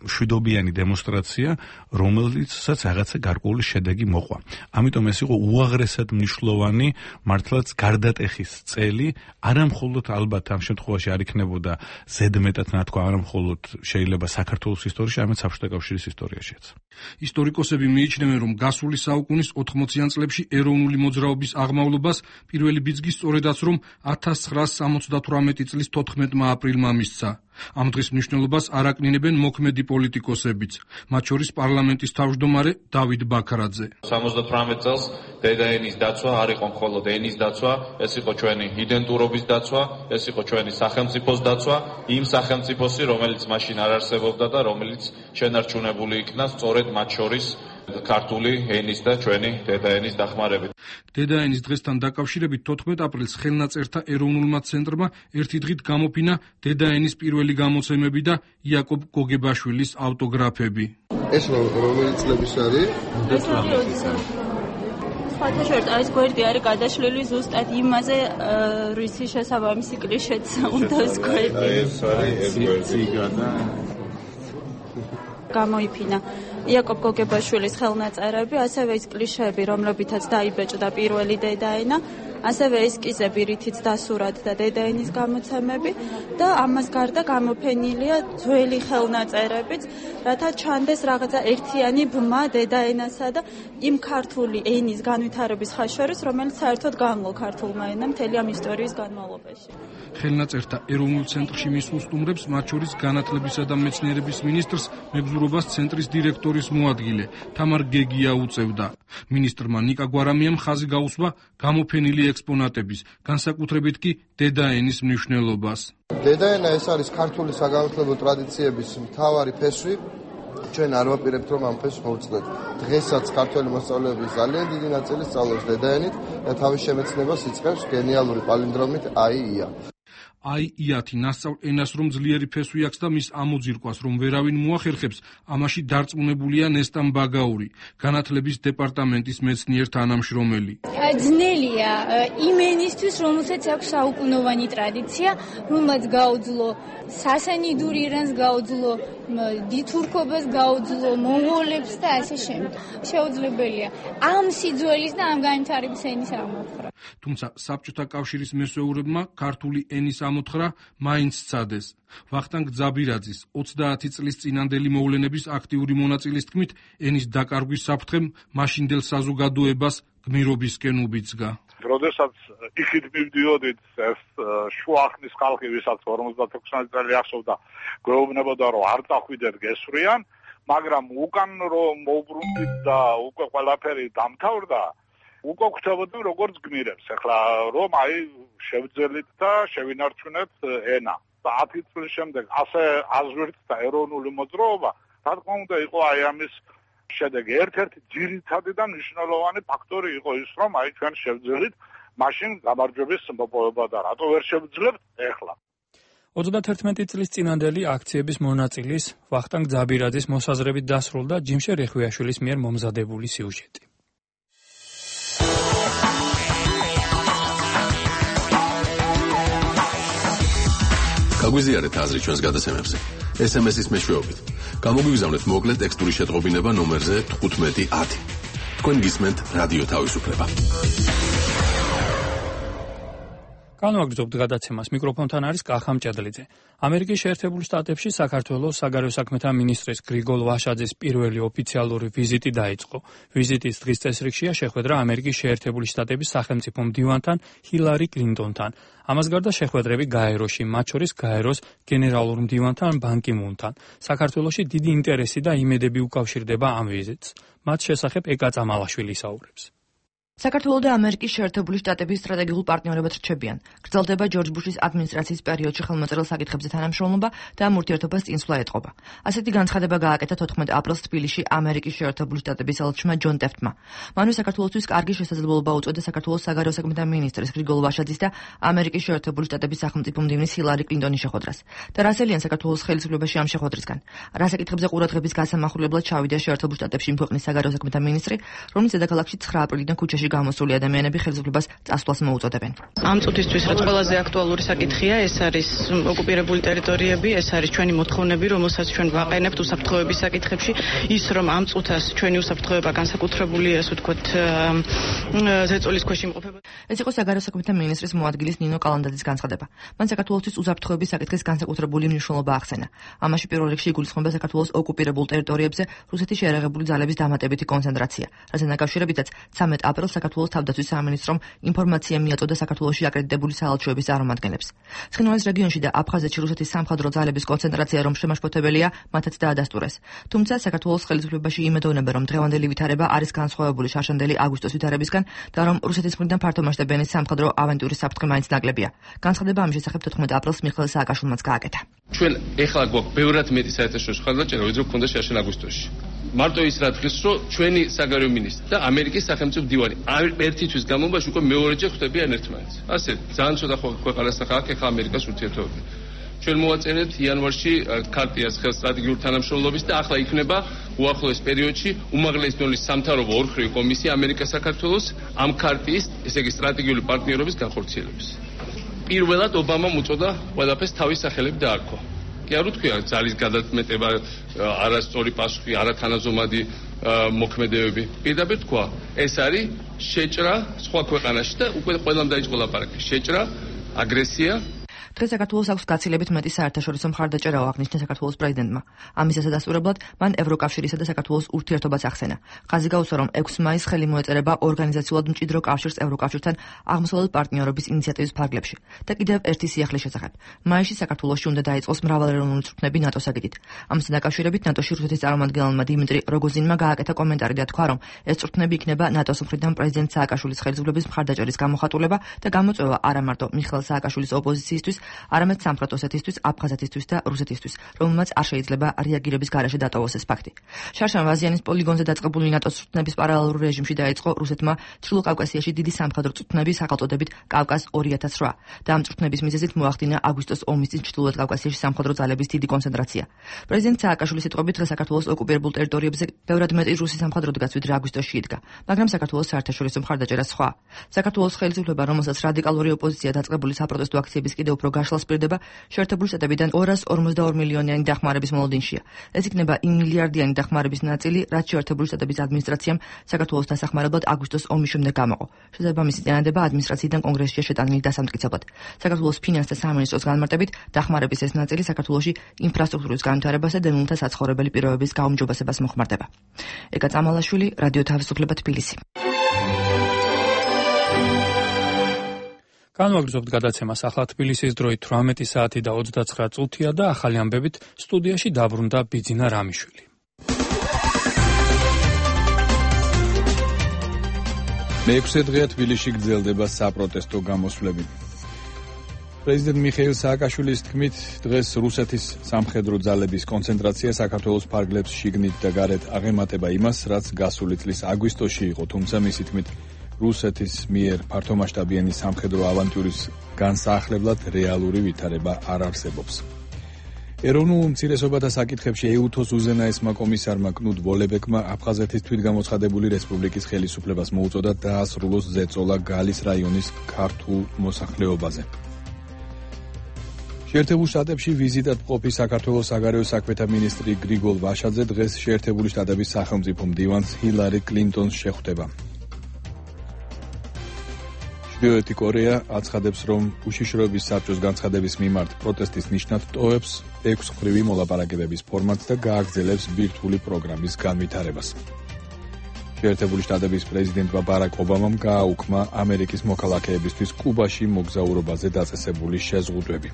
მშვიდობიანი დემონსტრაცია, რომელიცაც რაღაცა გარკვეული შედეგი მოყვა. ამიტომ ეს იყო უაღრესად მნიშვნელოვანი, მართლაც გარდატეხის წელი, არამხოლოდ ალბათ ამ შემთხვევაში არ იქნებოდა ზედმეტად ნათქვა, არამხოლოდ შეიძლება საქართველოს ისტორიაში, არამედ საბჭოთა კავშირის ისტორიაშიც. ისტორიკოსები მიიჩნევენ, რომ გასული საუკუნის ოთხმოციან წლებში ეროვნული მოძრაობის აღმავლობას პირველი ბიძგი სწორედაც რომ ათას ცხრაასი სამოცდათვრამეტი წლის თოთხმეტმა აპრილმა მისცა. ამ დღის მნიშვნელობას არ აკნინებენ მოქმედი პოლიტიკოსებიც, მათ შორის პარლამენტის თავმჯდომარე დავით ბაქრაძე. სამოცდათვრამეტ წელს დედაენის დაცვა არ იყო მხოლოდ ენის დაცვა, ეს იყო ჩვენი იდენტურობის დაცვა, ეს იყო ჩვენი სახელმწიფოს დაცვა, იმ სახელმწიფოსი, რომელიც მაშინ არ არსებობდა და რომელიც შენარჩუნებული იქნა სწორედ მათ შორის ქართული ენის და ჩვენი დედაენის დახმარებით. დედაენის დღესთან დაკავშირებით თოთხმეტ აპრილს ხელნაწერთა ეროვნულმა ცენტრმა ერთი დღით გამოფინა დედაენის პირველი გამოცემები და იაკობ გოგებაშვილის ავტოგრაფები. ეს რომელი წლების არის? საერთოდ ეს გვერდი არის გადაშლილი ზუსტად იმაზე, რისი შესაბამისი კლიშეც უნდა ეს გვერდი. ეს არის ეს გვერდი და გამოიფინა იაკობ გოგებაშვილის ხელნაწერები, ასევე ის კლიშეები, რომლებითაც დაიბეჭდა პირველი დედაენა, ასევე ესკიზები, რითიც დასურათდა დედაენის გამოცემები და ამას გარდა გამოფენილია ძველი ხელნაწერებიც, რათა ჩანდეს რაღაცა ერთიანი ბმა დედაენასა და იმ ქართული ენის განვითარების ხაშურის, რომელიც საერთოდ გამო ქართულმა ენამ მთელი ამ ისტორიის განმავლობაში. ხელნაწერთა ეროვნულ ცენტრში მისულ სტუმრებს, მათ შორის განათლებისა და მეცნიერების მინისტრს, მეგზურობას ცენტრის დირექტორის მოადგილე თამარ გეგია უწევდა. მინისტრმა ნიკა გვარამიამ ხაზი გაუსვა გამოფენილი ექსპონატების, განსაკუთრებით კი დედაენის მნიშვნელობას. დედაენა ეს არის ქართული საგანმანათლებლო ტრადიციების მთავარი ფესვი. ჩვენ არ ვაპირებთ, რომ ამ ფესვს მოვწდეთ. დღესაც ქართველი მოსწავლეების ძალიან დიდი ნაწილი სწავლობს დედაენით და თავის შემეცნებას იწყებს გენიალური პალინდრომით აი-ია. აი-იათი ნასწავლ ენას რომ ძლიერი ფესვი აქვს და მის ამოძირკვას რომ ვერავინ მოახერხებს, ამაში დარწმუნებულია ნესტან ბაგაური, განათლების დეპარტამენტის მეცნიერ თანამშრომელი. ძნელია იმ ენისთვის, რომელსაც აქვს საუკუნოვანი ტრადიცია, რომელსაც გაუძლო სასანიდურ ირანს, გაუძლო დითურქობას, გაუძლო მონღოლებს და ასე შემდეგ. შეუძლებელია ამ სიძველის და ამ განვითარების ენის ამოხრა. თუმცა საბჭოთა კავშირის მესვეურებმა ქართული ენის ამოთხრა მაინც სცადეს. ვახტანგ ძაბირაძის ოცდაათი წლის წინანდელი მოვლენების აქტიური მონაწილის თქმით, ენის დაკარგვის საფრთხემ მაშინდელ საზოგადოებას გმირობისკენ უბიძგა. როდესაც იქით მივდიოდით, ეს შუახნის ხალხი, ვისაც ორმოცდათექვსმეტი წელი ახსოვდა, გვეუბნებოდა, რომ არ წახვიდეთ გესვრიან, მაგრამ უკან რომ მოვბრუნდით და უკვე ყველაფერი დამთავრდა, უკვე გვხვდებოდი როგორც გმირებს. ახლა რომ აი შევძელით და შევინარჩუნეთ ენა. და ათი წლის შემდეგ ასე აზრით და ეროვნული მოძრაობა, რა თქმა უნდა, იყო აი ამის შედეგი. ერთ-ერთი ძირითადი და მნიშვნელოვანი ფაქტორი იყო ის, რომ აი ჩვენ შევძელით მაშინ გამარჯვების მოპოვება და რატო ვერ შევძლებთ ეხლა. ოცდათერთმეტი წლის წინანდელი აქციების მონაწილის ვახტანგ ძაბირაძის მოსაზრებით დასრულდა ჯიმშე რეხვიაშვილის მიერ მომზადებული სიუჟეტი. გაგვიზიარეთ აზრი ჩვენს გადაცემებზე. ეს ემ ეს-ის მეშვეობით. გამოგვიგზავნეთ მოკლე ტექსტური შეტყობინება ნომერზე თხუთმეტი ათი. თქვენ გისმენთ რადიო თავისუფლება. განვაგრძობთ გადაცემას. მიკროფონთან არის კახა მჭედლიძე. ამერიკის შეერთებული შტატებში საქართველოს საგარეო საქმეთა მინისტრის გრიგოლ ვაშაძის პირველი ოფიციალური ვიზიტი დაიწყო. ვიზიტის დღის წესრიგშია შეხვედრა ამერიკის შეერთებული შტატების სახელმწიფო მდივანთან ჰილარი კლინტონთან. ამას გარდა შეხვედრები გაეროში, მათ შორის გაეროს გენერალურ მდივანთან ბან კი მუნთან. საქართველოში დიდი ინტერესი და იმედები უკავშირდება ამ ვიზიტს. მათ შესახებ ეკა წამალაშვილი ისაუბრებს. საქართველო და ამერიკის შეერთებული შტატების სტრატეგიულ პარტნიორებად რჩებიან. გრძელდება ჯორჯ ბუშის ადმინისტრაციის პერიოდში ხელმოწერილ საკითხებზე თანამშრომლობა და ამ ურთიერთობას წინსვლა ეტყობა. ასეთი განცხადება გააკეთა თოთხმეტ აპრილს თბილისში ამერიკის შეერთებული შტატების ელჩმა ჯონ ტეფტმა. მანვე საქართველოსთვის კარგი შესაძლებლობა უწოდა საქართველოს საგარეო საქმეთა მინისტრის გრიგოლ ვაშაძის და ამერიკის შეერთებული შტატების სახელმწიფო მდივნის ჰილარი კლინტონის შეხვედრას. და რასელიან საქართველოს ხელისუფლებაში ამ შეხვედრისგან. რა საკითხებზე ყურადღების გასამახვილებლად ჩავიდა შეერთებულ შტატებში იმ ქვეყნის საგარეო საქმეთა მინისტრი, რომლის დედაქალაქში ცხრა აპრილიდან ქუჩაში გამოსული ადამიანები ხელისუფლებას წასვლას მოუწოდებენ. ამ წუთისთვის რაც ყველაზე აქტუალური საკითხია, ეს არის ოკუპირებული ტერიტორიები, ეს არის ჩვენი მოთხოვნები, რომელსაც ჩვენ ვაყენებთ უსაფრთხოების საკითხებში, ის რომ ამ წუთას ჩვენი უსაფრთხოება განსაკუთრებული, ასე ვთქვათ, ზეწოლის ქვეშ იმყოფება. ეს იყო საგარეო საქმეთა მინისტრის მოადგილის ნინო კალანდაძის განცხადება. მან საქართველოსთვის უსაფრთხოების საკითხის განსაკუთრებული მნიშვნელობა ახსენა. ამაში პირველ რიგში იგულისხმება საქართველოს ოკუპირებულ ტერიტორიებზე რუსეთის შეერაღებული ძალების დამატებითი კონცენტრაცია, რასთან დაკავშირებითაც ცამეტ აპრილს საქართველოს თავდაცვის სამინისტრომ ინფორმაცია მიაწოდა საქართველოში აკრედიტებული საელჩოების წარმომადგენლებს. ცხინვალის რეგიონში და აფხაზეთში რუსეთის სამხედრო ძალების კონცენტრაცია რომ შემაშფოთებელია, მათაც დაადასტურეს. თუმცა საქართველოს ხელისუფლებაში იმედოვნება, რომ დღევანდელი ვითარება არის განსხვავებული შარშანდელი აგვისტოს ვითარებისგან და რომ რუსეთის მხრიდან ფართომასშტაბიანი სამხედრო ავანტურის საფრთხე მაინც ნაკლებია. განცხადება ამ შესახებ თოთხმეტ აპრილს მიხეილ სააკაშვილმაც გააკეთა. ჩვენ ეხლა გვაქვს ბევრად მეტი საერთაშორისო ხელმოწერა, ვიდრე გვქონდა შარშან აგვისტოში. მარტო ის რა დღეს რომ ჩვენი საგარეო მინისტრი და ამერიკის სახელმწიფო მდივანი ერთი თვის განმავლობაში უკვე მეორეჯერ ხვდებიან ერთმანეთს. ასე ძალიან ცოტა ქვეყანასთან ხალხი ახლა ამერიკას ურთიერთობები. ჩვენ მოვაწერეთ იანვარში ქარტიას ხელს სტრატეგიული თანამშრომლობის და ახლა იქნება უახლოეს პერიოდში უმაღლესი დონის სამთავრობო ორხრივი კომისია ამერიკა საქართველოს ამ ქარტიის, ესე იგი სტრატეგიული პარტნიორობის განხორციელების. პირველად ობამამ უწოდა ყველაფერს თავის სახელით დაარქვა. კი არ უთქვია ძალის გადაწმეტება, არასწორი პასუხი, არათანაზომადი მოქმედებები. პირდაპირ თქვა, ეს არის შეჭრა სხვა ქვეყანაში და უკვე ყველამ დაიწყო ლაპარაკი. შეჭრა, აგრესია. დღეს საქართველოს აქვს გაცილებით მეტი საერთაშორისო მხარდაჭერა აღნიშნა საქართველოს პრეზიდენტმა. ამის დასასტურებლად მან ევროკავშირისა და საქართველოს ურთიერთობას ახსენა. ხაზი გაუსვა, რომ ექვსი მაისს ხელი მოეწერება ორგანიზაციულად მჭიდრო კავშირს ევროკავშირთან აღმოსავლეთ პარტნიორობის ინიციატივის ფარგლებში. და კიდევ ერთი სიახლის შესახებ. მაისში საქართველოში უნდა დაიწყოს მრავალეროვნული წვრთნები ნატოს აგიდით. ამასთან დაკავშირებით ნატოში რუსეთის წარმომადგენელმა დიმიტრი როგოზინმა გააკეთა კომენტარი და თქვა, რომ ეს წვრთნები იქნება ნატოს მხრიდან პრეზიდენტ სააკაშვილის ხელისუფლების მხარდაჭერის გამოხატულება და გამოწვევა არა მარტო მიხეილ სააკაშვილის ოპოზიციისთვის, არამედ სამხრეთ ოსეთისთვის, აფხაზეთისთვის და რუსეთისთვის, რომელმაც არ შეიძლება რეაგირების გარეშე დატოვოს ეს ფაქტი. შარშან ვაზიანის პოლიგონზე დაწყებული ნატოს წვრთნების პარალელურ რეჟიმში დაიწყო რუსეთმა ჩრდილო კავკასიაში დიდი სამხედრო წვრთნების სახელწოდებით კავკას ორი ათას რვა და ამ წვრთნების მიზეზით მოახდინა აგვისტოს ომის წინ ჩრდილოეთ კავკასიაში სამხედრო ძალების დიდი კონცენტრაცია. პრეზიდენტ სააკაშვილის სიტყვებით დღეს საქართველოს ოკუპირებულ ტერიტორიებზე ბევრად მეტი რუსი სამხედრო დგას, ვიდრე აგვისტოში იდგა, მაგრამ საქართველოს საერთაშორისო მხარდაჭერა სხვა. საქართველოს ხელისუფლება, რომელსაც რადიკალური ოპოზიცია დაწყებული საპროტესტო აქციების კიდევ უფრო გაშლას პირდება, შეერთებული შტატებიდან ორას ორმოცდაორი მილიონიანი დახმარების მოლოდინშია. ეს იქნება იმ მილიარდიანი დახმარების ნაწილი, რაც შეერთებული შტატების ადმინისტრაციამ საქართველოს დასახმარებლად აგვისტოს ომის შემდეგ გამოყო. შესაბამისი წინადადება ადმინისტრაციიდან კონგრესშია შეტანილი დასამტკიცებლად. საქართველოს ფინანსთა სამინისტროს განმარტებით, დახმარების ეს ნაწილი საქართველოში ინფრასტრუქტურის განვითარებას და დევნილთა საცხოვრებელი პირობების გაუმჯობესებას მოხმარდება. ეკა წამალაშვილი, რადიო თავისუფლება, თბილისი. განვაგრძობთ გადაცემას. ახლა თბილისის დროით თვრამეტი საათი და ოცდაცხრა წუთია და ახალი ამბებით სტუდიაში დაბრუნდა ბიძინა რამიშვილი. მეექვსე დღეა თბილისში გრძელდება საპროტესტო გამოსვლები. პრეზიდენტ მიხეილ სააკაშვილის თქმით, დღეს რუსეთის სამხედრო ძალების კონცენტრაცია საქართველოს ფარგლებს შიგნით და გარეთ აღემატება იმას, რაც გასული წლის აგვისტოში იყო, თუმცა მისი თქმით, რუსეთის მიერ ფართომასშტაბიანი სამხედრო ავანტიურის განსაახლებლად რეალური ვითარება არ არსებობს. ეროვნულ უმცირესობათა საკითხებში ეუთოს უზენაესმა კომისარმა კნუდ ვოლებეკმა აფხაზეთის თვითგამოცხადებული რესპუბლიკის ხელისუფლებას მოუწოდა დაასრულოს ზეწოლა გალის რაიონის ქართულ მოსახლეობაზე. შეერთებულ შტატებში ვიზიტად მყოფი საქართველოს საგარეო საქმეთა მინისტრი გრიგოლ ვაშაძე დღეს შეერთებული შტატების სახელმწიფო მდივანს ჰილარი კლინტონს შეხვდება. ჩრდილოეთი კორეა აცხადებს, რომ უშიშროების საბჭოს განცხადების მიმართ პროტესტის ნიშნად ტოვებს ექვსმხრივი მოლაპარაკებების ფორმატს და გააგრძელებს ბირთვული პროგრამის განვითარებას. შეერთებული შტატების პრეზიდენტმა ბარაკ ობამამ გააუქმა ამერიკის მოქალაქეებისთვის კუბაში მოგზაურობაზე დაწესებული შეზღუდვები.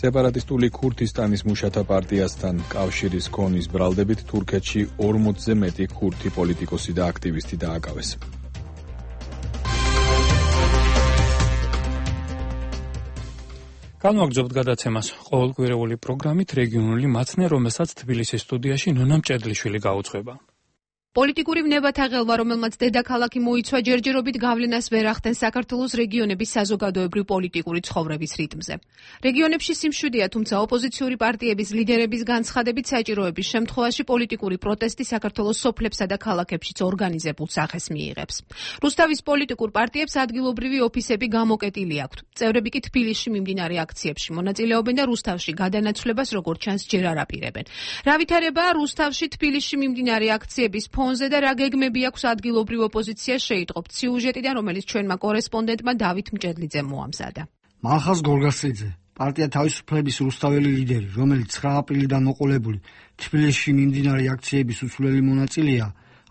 სეპარატისტული ქურთისტანის მუშათა პარტიასთან კავშირის ქონის ბრალდებით თურქეთში ორმოცზე მეტი ქურთი პოლიტიკოსი და აქტივისტი დააკავეს. განვაგრძობთ გადაცემას ყოველკვირეული პროგრამით რეგიონული მაცნე, რომელსაც თბილისის სტუდიაში ნონა მჭედლიშვილი გაუძღვება. პოლიტიკური ვნებათა ღელვა, რომელმაც დედაქალაქი მოიცვა, ჯერჯერობით გავლენას ვერ ახდენს საქართველოს რეგიონების საზოგადოებრივ პოლიტიკური ცხოვრების რიტმზე. რეგიონებში სიმშვიდეა, თუმცა ოპოზიციური პარტიების ლიდერების განცხადებით საჭიროების შემთხვევაში პოლიტიკური პროტესტი საქართველოს სოფლებსა და ქალაქებშიც ორგანიზებულ სახეს მიიღებს. რუსთავის პოლიტიკურ პარტიებს ადგილობრივი ოფისები გამოკეტილი აქვთ. წევრები კი თბილისში მიმდინარე აქციებში მონაწილეობენ და რუსთავში გადანაცვლებას როგორც ჩანს ჯერ არ აპირებენ. რა ვითარებაა რუსთავში თბილისში მიმდინარე აქციების ფონზე და რა გეგმები აქვს ადგილობრივ ოპოზიციას, შეიტყობთ სიუჟეტიდან, რომელიც ჩვენმა კორესპონდენტმა დავით მჭედლიძე მოამზადა. მალხაზ გორგასლიძე, პარტია თავისუფლების რუსთაველი ლიდერი, რომელიც ცხრა აპრილიდან მოყოლებული თბილისში მიმდინარე აქციების უცვლელი მონაწილეა,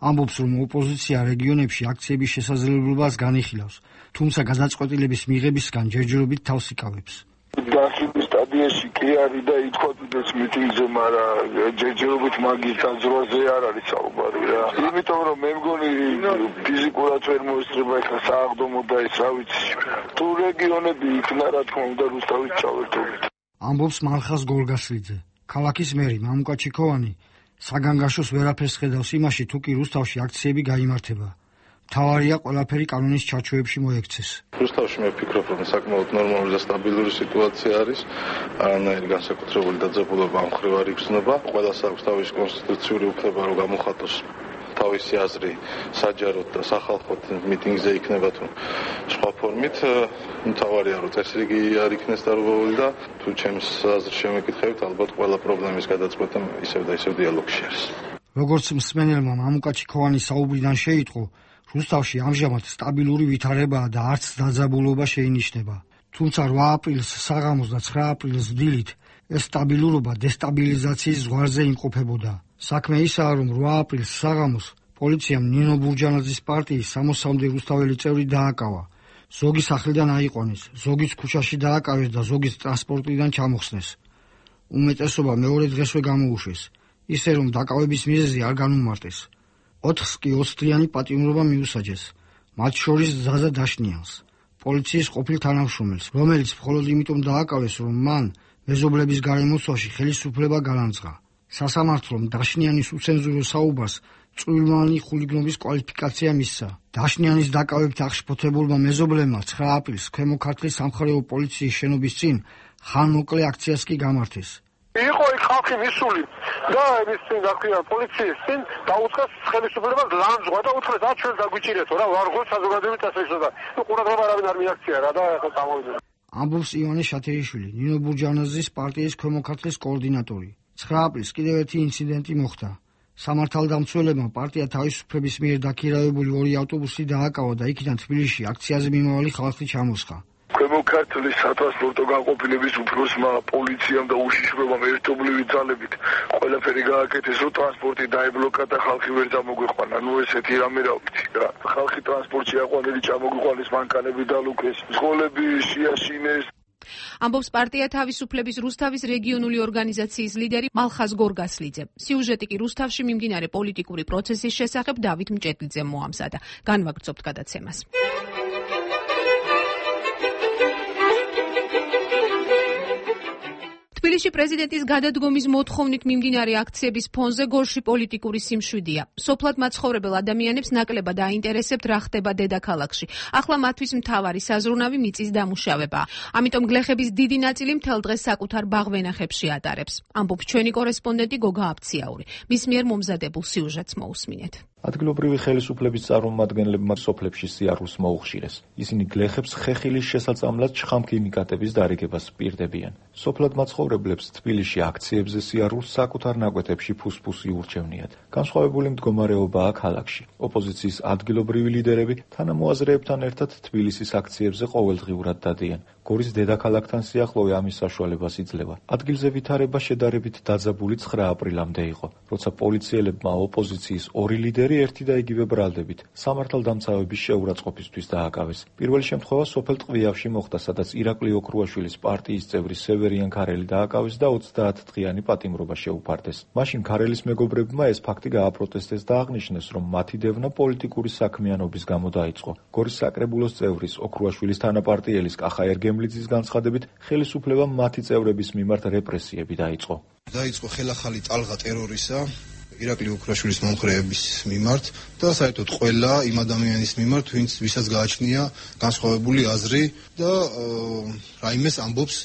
ამბობს, რომ ოპოზიცია რეგიონებში აქციების შესაძლებლობას განიხილავს, თუმცა გადაწყვეტილების მიღებისგან ჯერჯერობით თავს იკავებს. გასული სტადიაში კი არის და ითქვათ მიტინგზე, მაგრამ ჯერჯერობით მაგის დაძრაზე არ არის საუბარი რა. იმიტომ რომ მე მგონი ფიზიკურად ვერ მოესწრება ეხლა სააღდომო და ეს რა ვიცი. თუ რეგიონები იქნა, რა თქმა უნდა, რუსთავით ჩავერთობით. ამბობს მალხაზ გორგასლიძე. ქალაქის მერი მამუკა ჩიქოვანი საგანგაშოს ვერაფერს ხედავს იმაში, თუ კი რუსთავში აქციები გაიმართება. თავარია ყველაფერი კანონის ჩარჩოებში მოექცეს. რუსთავში მე ვფიქრობ, რომ საკმაოდ ნორმალური და სტაბილური სიტუაცია არის. არანაირი განსაკუთრებული დაძაბულობა ამ მხრივ არ იგრძნობა. ყველას აქვს თავისი კონსტიტუციური უფლება, რომ გამოხატოს თავისი აზრი საჯაროდ და სახალხოდ მიტინგზე იქნება თუ სხვა ფორმით. თავარია, რომ წესრიგი არ იქნეს დარღვეული და თუ ჩემს აზრს შემეკითხებით, ალბათ ყველა პრობლემის გადაწყვეტა ისევ და ისევ დიალოგში არის. როგორც მსმენელმა მამუკა ჩიქოვანის საუბრიდან შეიტყო, რუსთავში ამჟამად სტაბილური ვითარებაა და არც დაძაბულობა შეინიშნება. თუმცა რვა აპრილს საღამოს და ცხრა აპრილს დილით ეს სტაბილურობა დესტაბილიზაციის ზღვარზე იმყოფებოდა. საქმე ისაა, რომ რვა აპრილს საღამოს პოლიციამ ნინო ბურჯანაძის პარტიის სამოსამდე რუსთაველი წევრი დააკავა. ზოგი სახლიდან აიყვანეს, ზოგიც ქუჩაში დააკავეს და ზოგიც ტრანსპორტიდან ჩამოხსნეს. უმეტესობა მეორე დღესვე გამოუშვეს, ისე რომ დაკავების მიზეზი არ განუმარტეს. ოთხს კი ოცდღიანი პატიმრობა მიუსაჯეს, მათ შორის ზაზა დაშნიანს, პოლიციის ყოფილ თანამშრომელს, რომელიც მხოლოდ იმიტომ დააკავეს, რომ მან მეზობლების გარემოცვაში ხელისუფლება განამძღა. სასამართლომ დაშნიანის უცენზურო საუბარს წვრილმანი ხულიგნობის კვალიფიკაცია მისცა. დაშნიანის დაკავებით აღშფოთებულმა მეზობლებმა ცხრა აპრილს ქვემო ქართლის სამხარეო პოლიციის შენობის წინ ხანმოკლე აქციას კი გამართეს. იყო იქ ხალხი მისული და ეს წინ დაქვია პოლიციის წინ დაუწყეს ხელისუფლებას ლანძღვა და უთხრეს რა ჩვენ დაგვიჭირეთო რა ვარ გულ საზოგადოებით ასეშო და ნუ ყურადღება არავინ არ მიაქცია რა და ახლა წამოვიდა. ამბობს ივანე შათერიშვილი, ნინო ბურჯანაძის პარტიის ქვემო ქართლის координаტორი. ცხრა აპრილს კიდევ ერთი ინციდენტი მოხდა. სამართალდამცველებმა პარტია თავისუფლების მიერ დაქირავებული ორი ავტობუსი დააკავა და იქიდან თბილისში აქციაზე მიმავალი ხალხი ჩამოსხა. ქვემო ქართლის სატრანსპორტო განყოფილების უფროსმა პოლიციამ და უშიშრობამ ერთობლივი ძალებით ყველაფერი გააკეთეს, რომ ტრანსპორტი დაიბლოკა და ხალხი ვერ წამოგვიყვანა. ნუ ესეთი რამე რა ვთქვი რა. ხალხი ტრანსპორტში აყვანილი წამოგვიყვანის მანქანები დალუქეს, სკოლები შეაშინეს. ამბობს პარტია თავისუფლების რუსთავის რეგიონული ორგანიზაციის ლიდერი მალხაზ გორგასლიძე. სიუჟეტი კი რუსთავში მიმდინარე პოლიტიკური პროცესის შესახებ დავით მჭედლიძემ მოამზადა. განვაგრძობთ გადაცემას. თბილისში პრეზიდენტის გადადგომის მოთხოვნით მიმდინარე აქციების ფონზე გორში პოლიტიკური სიმშვიდეა. სოფლად მაცხოვრებელ ადამიანებს ნაკლებად აინტერესებთ რა ხდება დედაქალაქში. ახლა მათთვის მთავარი საზრუნავი მიწის დამუშავებაა. ამიტომ გლეხების დიდი ნაწილი მთელ დღეს საკუთარ ბაღ-ვენახებში ატარებს. ამბობს ჩვენი კორესპონდენტი გოგა აბციაური. მის მიერ მომზადებულ სიუჟეტს მოусმინეთ. ადგილობრივი ხელისუფლების წარმომადგენლებმა სოფლებში სიარულს მოუხშირეს. ისინი გლეხებს ხეხილის შესაწამლად ჩხამქიმიკატების დარიგებას პირდებიან. სოფლად მაცხოვრებლებს თბილისში აქციებზე სიარულს საკუთარ ნაკვეთებში ფუსფუსი ურჩევნიათ. განსხვავებული მდგომარეობაა ქალაქში. ოპოზიციის ადგილობრივი ლიდერები თანამოაზრეებთან ერთად თბილისის აქციებზე ყოველდღიურად დადიან. გორის დედაქალაქთან სიახლოვე ამის საშუალებას იძლევა. ადგილზე ვითარება შედარებით დაძაბული ცხრა აპრილამდე იყო, როცა პოლიციელებმა ოპოზიციის ორი ლიდერი ერთი და იგივე ბრალდებით სამართალდამცავების შეურაცხყოფისთვის დააკავეს. პირველი შემთხვევა სოფელ ტყვიავში მოხდა, სადაც ირაკლი ოქრუაშვილის პარტიის წევრი სევერიან ქარელი დააკავეს და ოცდაათდღიანი პატიმრობა შეუფარდეს. მაშინ ქარელის მეგობრებმა ეს ფაქტი გააპროტესტეს და აღნიშნეს, რომ მათი დევნა პოლიტიკური საქმიანობის გამო დაიწყო. გორის საკრებულოს წევრის ოქრუაშვილის თანაპარტიელის კახაერ გემლიძის განცხადებით, ხელისუფლებამ მათი წევრების მიმართ რეპრესიები დაიწყო. დაიწყო ხელახალი ტალღა ტერორისა ირაკლი ოქრუაშვილის მომხრეების მიმართ და საერთოდ ყველა იმ ადამიანის მიმართ, ვინც ვისაც გააჩნია განსხვავებული აზრი და რაიმეს ამბობს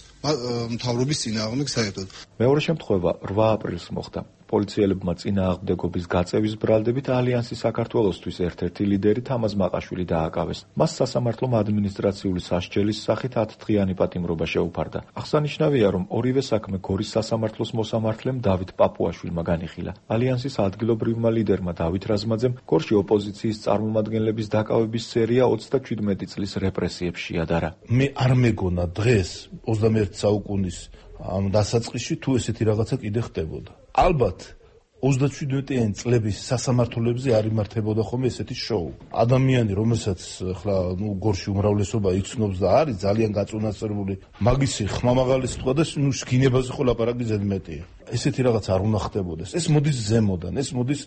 მთავრობის წინააღმდეგ საერთოდ. მეორე შემთხვევა რვა აპრილს მოხდა. პოლიციელებმა წინააღმდეგობის გაწევის ბრალდებით ალიანსის საქართველოსთვის ერთ-ერთი ლიდერი თამაზ მაყაშვილი დააკავეს. მას სასამართლომ ადმინისტრაციული სასჯელის სახით ათდღიანი პატიმრობა შეუფარდა. აღსანიშნავია, რომ ორივე საქმე გორის სასამართლოს მოსამართლემ დავით პაპუაშვილმა განიხილა. ალიანსის ადგილობრივმა ლიდერმა დავით რაზმაძემ გორში ოპოზიციის წარმომადგენლების დაკავების სერია ოცდაჩვიდმეტი წლის რეპრესიებს შეადარა. მე არ მეგონა დღეს ოცდამეერთე საუკუნის ამ დასაწყისში თუ ესეთი რაღაცა კიდე ხდებოდა. ალბათ ოცდაჩვიდმეტიანი წლების სასამართლოებზე არ იმართებოდა ხოლმე ესეთი შოუ. ადამიანი, რომელსაც ხლა ნუ გორში უმრავლესობა იცნობს და არის ძალიან გაწუნასწორებული, მაგისი ხმამაღალი სიტყვა და ნუ შგინებაზე ხო ლაპარაკი ზედმეტია. ესეთი რაღაც არ უნდა ხდებოდეს. ეს მოდის ზემოდან, ეს მოდის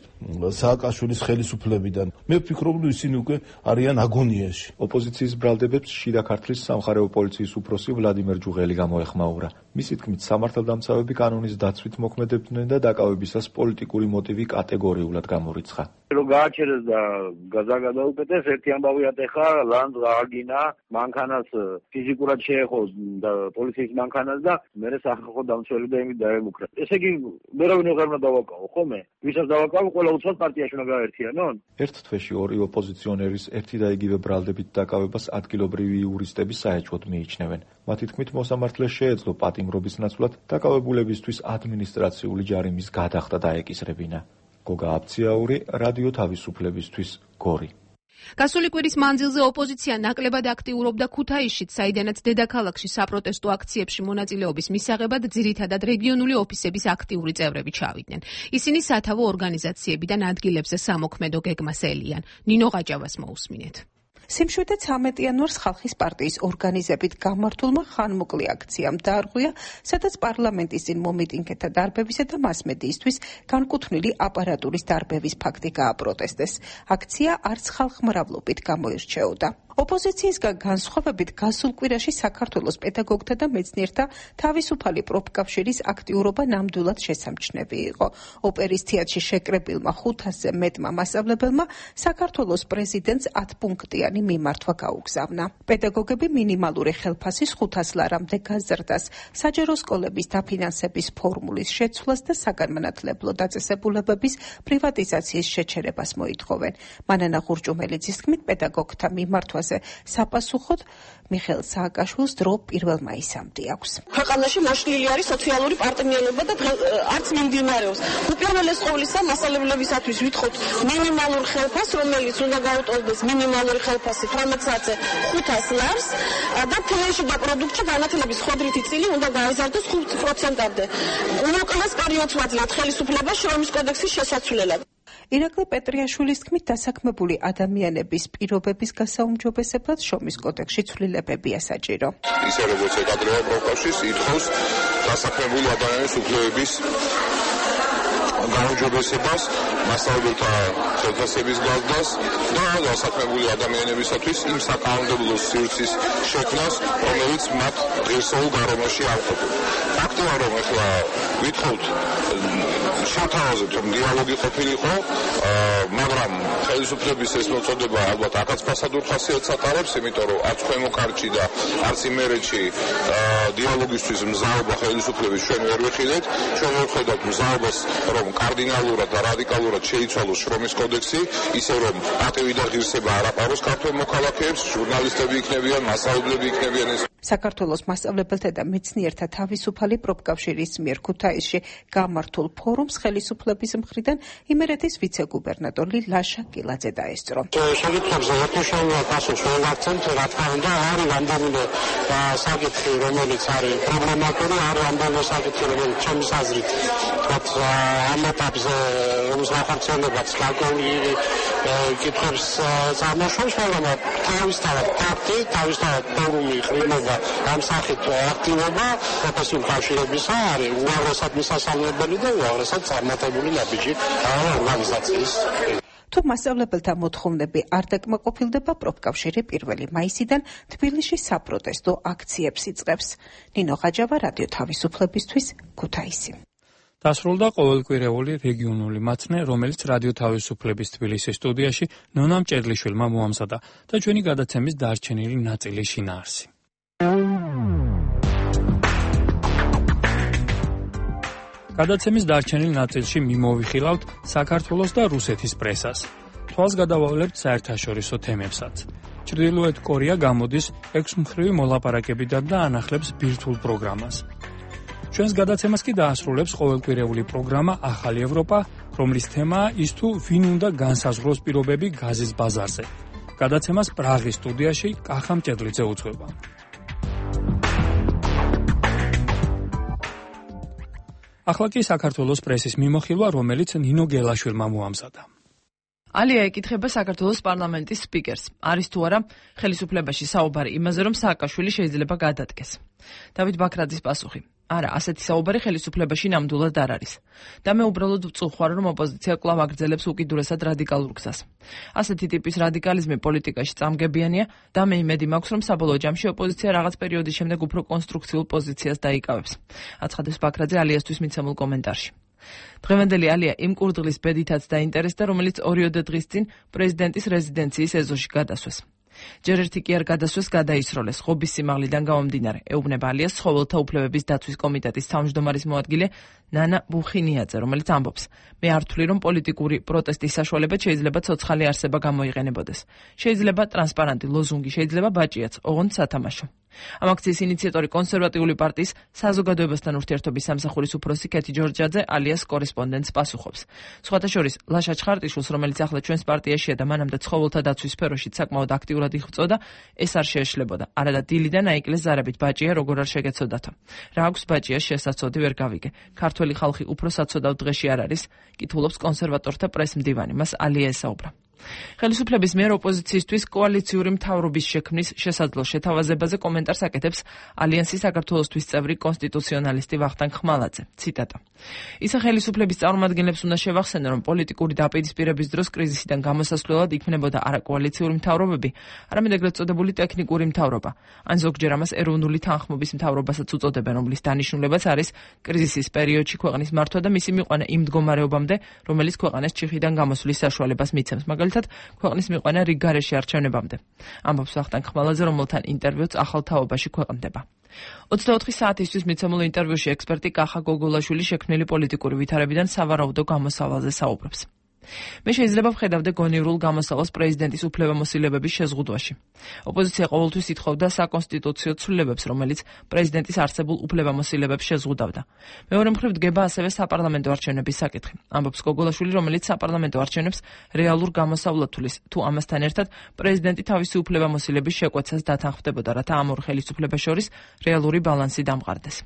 სააკაშვილის ხელისუფლებიდან. მე ვფიქრობ, რომ ისინი უკვე არიან აგონიაში. ოპოზიციის ბრალდებებს შიდა ქართლის სამხარეო პოლიციის უფროსი ვლადიმერ ჯუღელი გამოეხმაურა. მისი თქმით, სამართალდამცავები კანონის დაცვით მოქმედებდნენ და დაკავებისას პოლიტიკური მოტივი კატეგორიულად გამორიცხა. რომ გააჩერეს და გაზაგადაუკეთეს, ერთი ამბავი ატეხა, ლანდ გააგინა, მანქანას ფიზიკურად შეეხო და პოლიციის მანქანას და მერე სახალხო დამცველი და იმით დაემუქრა. ესე იგი, ვერავინ აღარ უნდა დავაკავო, ხოლმე? ვისაც დავაკავო, ყველა უცბად პარტიაში უნდა გაერთიანონ? ერთ თვეში ორი ოპოზიციონერის ერთი და იგივე ბრალდებით დაკავებას ადგილობრივი იურისტები საეჭვოდ მიიჩნევენ. მათი თქმით, მოსამართლეს შეეძლო პატიმრობის ნაცვლად დაკავებულებისთვის ადმინისტრაციული ჯარიმის გადახდა დაეკისრებინა. გოგა აბციაური, რადიო თავისუფლებისთვის, გორი. გასული კვირის მანძილზე ოპოზიცია ნაკლებად აქტიურობდა ქუთაისშიც, საიდანაც დედაქალაქში საპროტესტო აქციებში მონაწილეობის მისაღებად ძირითადად რეგიონული ოფისების აქტიური წევრები ჩავიდნენ. ისინი სათავო ორგანიზაციებიდან ადგილებზე სამოქმედო გეგმას ელიან. ნინო ყაჭავას მოусმინეთ. სიმშვიდე ცამეტი იანვარს ხალხის პარტიის ორგანიზებით გამართულმა ხანმოკლე აქციამ დაარღვია, სადაც პარლამენტის წინ მომიტინგეთა დარბევისა და მასმედიისთვის განკუთვნილი აპარატურის დარბევის ფაქტი გააპროტესტეს. აქცია არც ხალხმრავლობით გამოირჩეოდა. ოპოზიციისგან განსხვავებით გასულ კვირაში საქართველოს პედაგოგთა და მეცნიერთა თავისუფალი პროფკავშირის აქტიურობა ნამდვილად შესამჩნევი იყო. ოპერის თეატრში შეკრებილმა ხუთასზე მეტმა მასწავლებელმა საქართველოს პრეზიდენტს ათპუნქტიანი მიმართვა გაუგზავნა. პედაგოგები მინიმალური ხელფასის ხუთას ლარამდე გაზრდას, საჯარო სკოლების დაფინანსების ფორმულის შეცვლას და საგანმანათლებლო დაწესებულებების პრივატიზაციის შეჩერებას მოითხოვენ. მანანა ღურჭუმელიძის თქმით, პედაგოგთა მიმართვაზე საპასუხოდ მიხეილ სააკაშვილს დრო პირველ მაისამდე აქვს. ქვეყანაში მოშლილი არის სოციალური პარტნიორობა და არც მიმდინარეობს. უპირველეს ყოვლისა მასწავლებლებისათვის ვითხოვთ მინიმალურ ხელფასს, რომელიც უნდა გაუტოლდეს მინიმალური ხელფასი თორმეტ საათზე ხუთას ლარს და ფინანსში და პროდუქტში განათლების ხვედრითი წილი უნდა გაიზარდოს ხუთ პროცენტამდე. უმოკლეს პერიოდს ვაძლევთ ხელისუფლებას შრომის კოდექსის შესაცვლელად. ირაკლი პეტრიაშვილის თქმით, დასაქმებული ადამიანების პირობების გასაუმჯობესებლად შრომის კოდექსში ცვლილებებია საჭირო. ისე როგორც ეკადრება პროფკავშირს ითხოვს დასაქმებული ადამიანის უფლებების გაუმჯობესებას, მასწავლებელთა ხელფასების გაზრდას და დასაქმებული ადამიანებისათვის იმ საკანონმდებლო სივრცის შექმნას, რომელიც მათ ღირსეულ გარემოში არ ყოფილა. ფაქტია, რომ ახლა ვითხოვთ შევთავაზებთ, რომ დიალოგი ყოფილიყო, მაგრამ ხელისუფლების ეს მოწოდება ალბათ აქაც ფასადურ ხასიათს ატარებს, იმიტომ რომ არც ქვემო ქართლში და არც იმერეთში დიალოგისთვის მზაობა ხელისუფლების ჩვენ ვერ ვიხილეთ. ჩვენ ვხედავთ მზაობას, რომ კარდინალურად და რადიკალურად შეიცვალოს შრომის კოდექსი, ისე რომ პატივი და ღირსება არ აპაროს ქართველ მოქალაქეებს, ჟურნალისტები იქნებიან, მასწავლებლები იქნებიან. საქართველოს მასწავლებელთა და მეცნიერთა თავისუფალი პროფკავშირის მიერ ქუთაისში გამართულ ფორუმს ხელისუფლების მხრიდან იმერეთის ვიცე-გუბერნატორი ლაშა კილაძე დაესწრო. შეკითხვებზე ერთუშევიან პასუხს ვერ ვაქცევთ, რა თქმა უნდა, არის რამდენიმე საკითხი, რომელიც არის პრობლემატური, არის რამდენიმე საკითხი, რომელიც ჩემს აზრით, თქვათ, ამ ეტაპზე რომის განხორციელებაც გარკვეული კითხვებს წარმოშობს, მაგრამ თავისთავად ფაქტი, თავისთავად ფორუმი ყრილობა ამ სახით აქტივობა პროფესიულ კავშირებისა არის უაღრესად მისასალმებელი და უაღრესად წარმატებული ნაბიჯი ორგანიზაციის. თუ მასწავლებელთა მოთხოვნები არ დაკმაყოფილდება, პროფკავშირი პირველი მაისიდან თბილისში საპროტესტო აქციებს იწყებს. ნინო ღაჯავა, რადიო თავისუფლებისთვის, ქუთაისი. დასრულდა ყოველკვირეული რეგიონული მაცნე, რომელიც რადიო თავისუფლების თბილისის სტუდიაში ნონა მჭედლიშვილმა მოამზადა და ჩვენი გადაცემის დარჩენილი ნაწილი შინაარსი. გადაცემის დარჩენილ ნაწილში მიმოვიხილავთ საქართველოს და რუსეთის პრესას. თვალს გადავავლებთ საერთაშორისო თემებსაც. ჩრდილოეთ კორეა გამოდის ექვსმხრივი მოლაპარაკებიდან და ანახლებს ბირთვულ პროგრამას. ჩვენს გადაცემას კი დაასრულებს ყოველკვირეული პროგრამა ახალი ევროპა, რომლის თემაა ის თუ ვინ უნდა განსაზღვროს პირობები გაზის ბაზარზე. გადაცემას პრაღის სტუდიაში კახა მჭედლიძე უძღვება. ახლა კი საქართველოს პრესის მიმოხილვა, რომელიც ნინო გელაშვილმა მოამზადა. ალია ეკითხება საქართველოს პარლამენტის სპიკერს. არის თუ არა ხელისუფლებაში საუბარი იმაზე, რომ სააკაშვილი შეიძლება გადადგეს. დავით ბაქრაძის პასუხი: არა, ასეთი საუბარი ხელისუფლებაში ნამდვილად არ არის. და მე უბრალოდ ვწუხარ, რომ ოპოზიცია კვლავ აგრძელებს უკიდურესად რადიკალურ გზას. ასეთი ტიპის რადიკალიზმი პოლიტიკაში წამგებიანია და მე იმედი მაქვს, რომ საბოლოო ჯამში ოპოზიცია რაღაც პერიოდის შემდეგ უფრო კონსტრუქციულ პოზიციას დაიკავებს. აცხადებს ბაქრაძე ალიასთვის მიცემულ კომენტარში. დღევანდელი ალია იმ კურდღლის ბედითაც დაინტერესდა, რომელიც ორიოდე დღის წინ პრეზიდენტის რეზიდენციის ეზოში გადასვეს. ჯერ ერთი კი არ გადასვეს, გადაისროლეს ღობის სიმაღლიდან გამომდინარე. ეუბნება ალიას ცხოველთა უფლებების დაცვის კომიტეტის თავმჯდომარის მოადგილე ნანა ბუხინიაძე, რომელიც ამბობს: მე არ ვთვლი, რომ პოლიტიკური პროტესტის საშუალებით შეიძლება ცოცხალი არსება გამოიყენებოდეს. შეიძლება ტრანსპარანტი ლოზუნგი, შეიძლება ბაჭიაც, ოღონდ სათამაშო. ამ აქციის ინიციატორი კონსერვატიული პარტიის საზოგადოებასთან ურთიერთობის სამსახურის უფროსი კეთი ჯორჯაძე ალიას კორესპონდენტს პასუხობს. სხვათა შორის ლაშა ჩხარტიშვილს, რომელიც ახლა ჩვენს პარტიაშია და მანამდე ცხოველთა დაცვის სფეროში საკმაოდ აქტიურად იღვწოდა, ეს არ შეეშლებოდა. არადა დილიდან აიკლეს ზარებით ბაჭია როგორ არ შეგეცოდათო. რა აქვს ბაჭიას შესაძოდი ვერ გავიგე. ქართველი ხალხი უფრო საცოდავ დღეში არ არის, კითხულობს კონსერვატორთა პრესმდივანი, მას ალია ესაუბრა. ხელისუფლების მიერ ოპოზიციისთვის კოალიციური მთავრობის შექმნის შესაძლო შეთავაზებაზე კომენტარს აკეთებს ალიანსის საქართველოსთვის წევრი კონსტიტუციონალისტი ვახტანგ ხმალაძე. ციტატა: ისა ხელისუფლების წარმომადგენლებს უნდა შევახსენო, რომ პოლიტიკური დაპირისპირების დროს კრიზისიდან გამოსასვლელად იქმნებოდა არა კოალიციური მთავრობები, არამედ ეგრეთ წოდებული ტექნიკური მთავრობა. ან ზოგჯერ ამას ეროვნული თანხმობის მთავრობასაც უწოდებენ, რომლის დანიშნულებაც არის კრიზისის პერიოდში ქვეყნის მართვა და მისი მიყვანა იმ მდგომარეობამდე, რომელიც ქვეყანას ჩიხიდან გამოსვლის საშუალებას მიცემს. ქვეყნის მიყვანა რიგ გარეშე არჩევნებამდე. ამბობს ვახტანგ ხმალაძე, რომელთან ინტერვიუც ახალ თაობაში ქვეყნდება. ოცდაოთხი საათისთვის მიცემულ ინტერვიუში ექსპერტი კახა გოგოლაშვილი შექმნილი პოლიტიკური ვითარებიდან სავარაუდო გამოსავალზე საუბრობს. მე შეიძლება ვხედავდე გონივრულ გამოსავალს პრეზიდენტის უფლებამოსილებების შეზღუდვაში. ოპოზიცია ყოველთვის ითხოვდა საკონსტიტუციო ცვლილებებს, რომელიც პრეზიდენტის არსებულ უფლებამოსილებებს შეზღუდავდა. მეორე მხრივ დგება ასევე საპარლამენტო არჩევნების საკითხი. ამბობს გოგოლაშვილი, რომელიც საპარლამენტო არჩევნებს რეალურ გამოსავლად თulis, თუ ამასთან ერთად პრეზიდენტი თავისი უფლებამოსილების შეკვეცას დათანხმდებოდა, რათა ამ ორ ხელისუფლებას შორის რეალური ბალანსი დამყარდეს.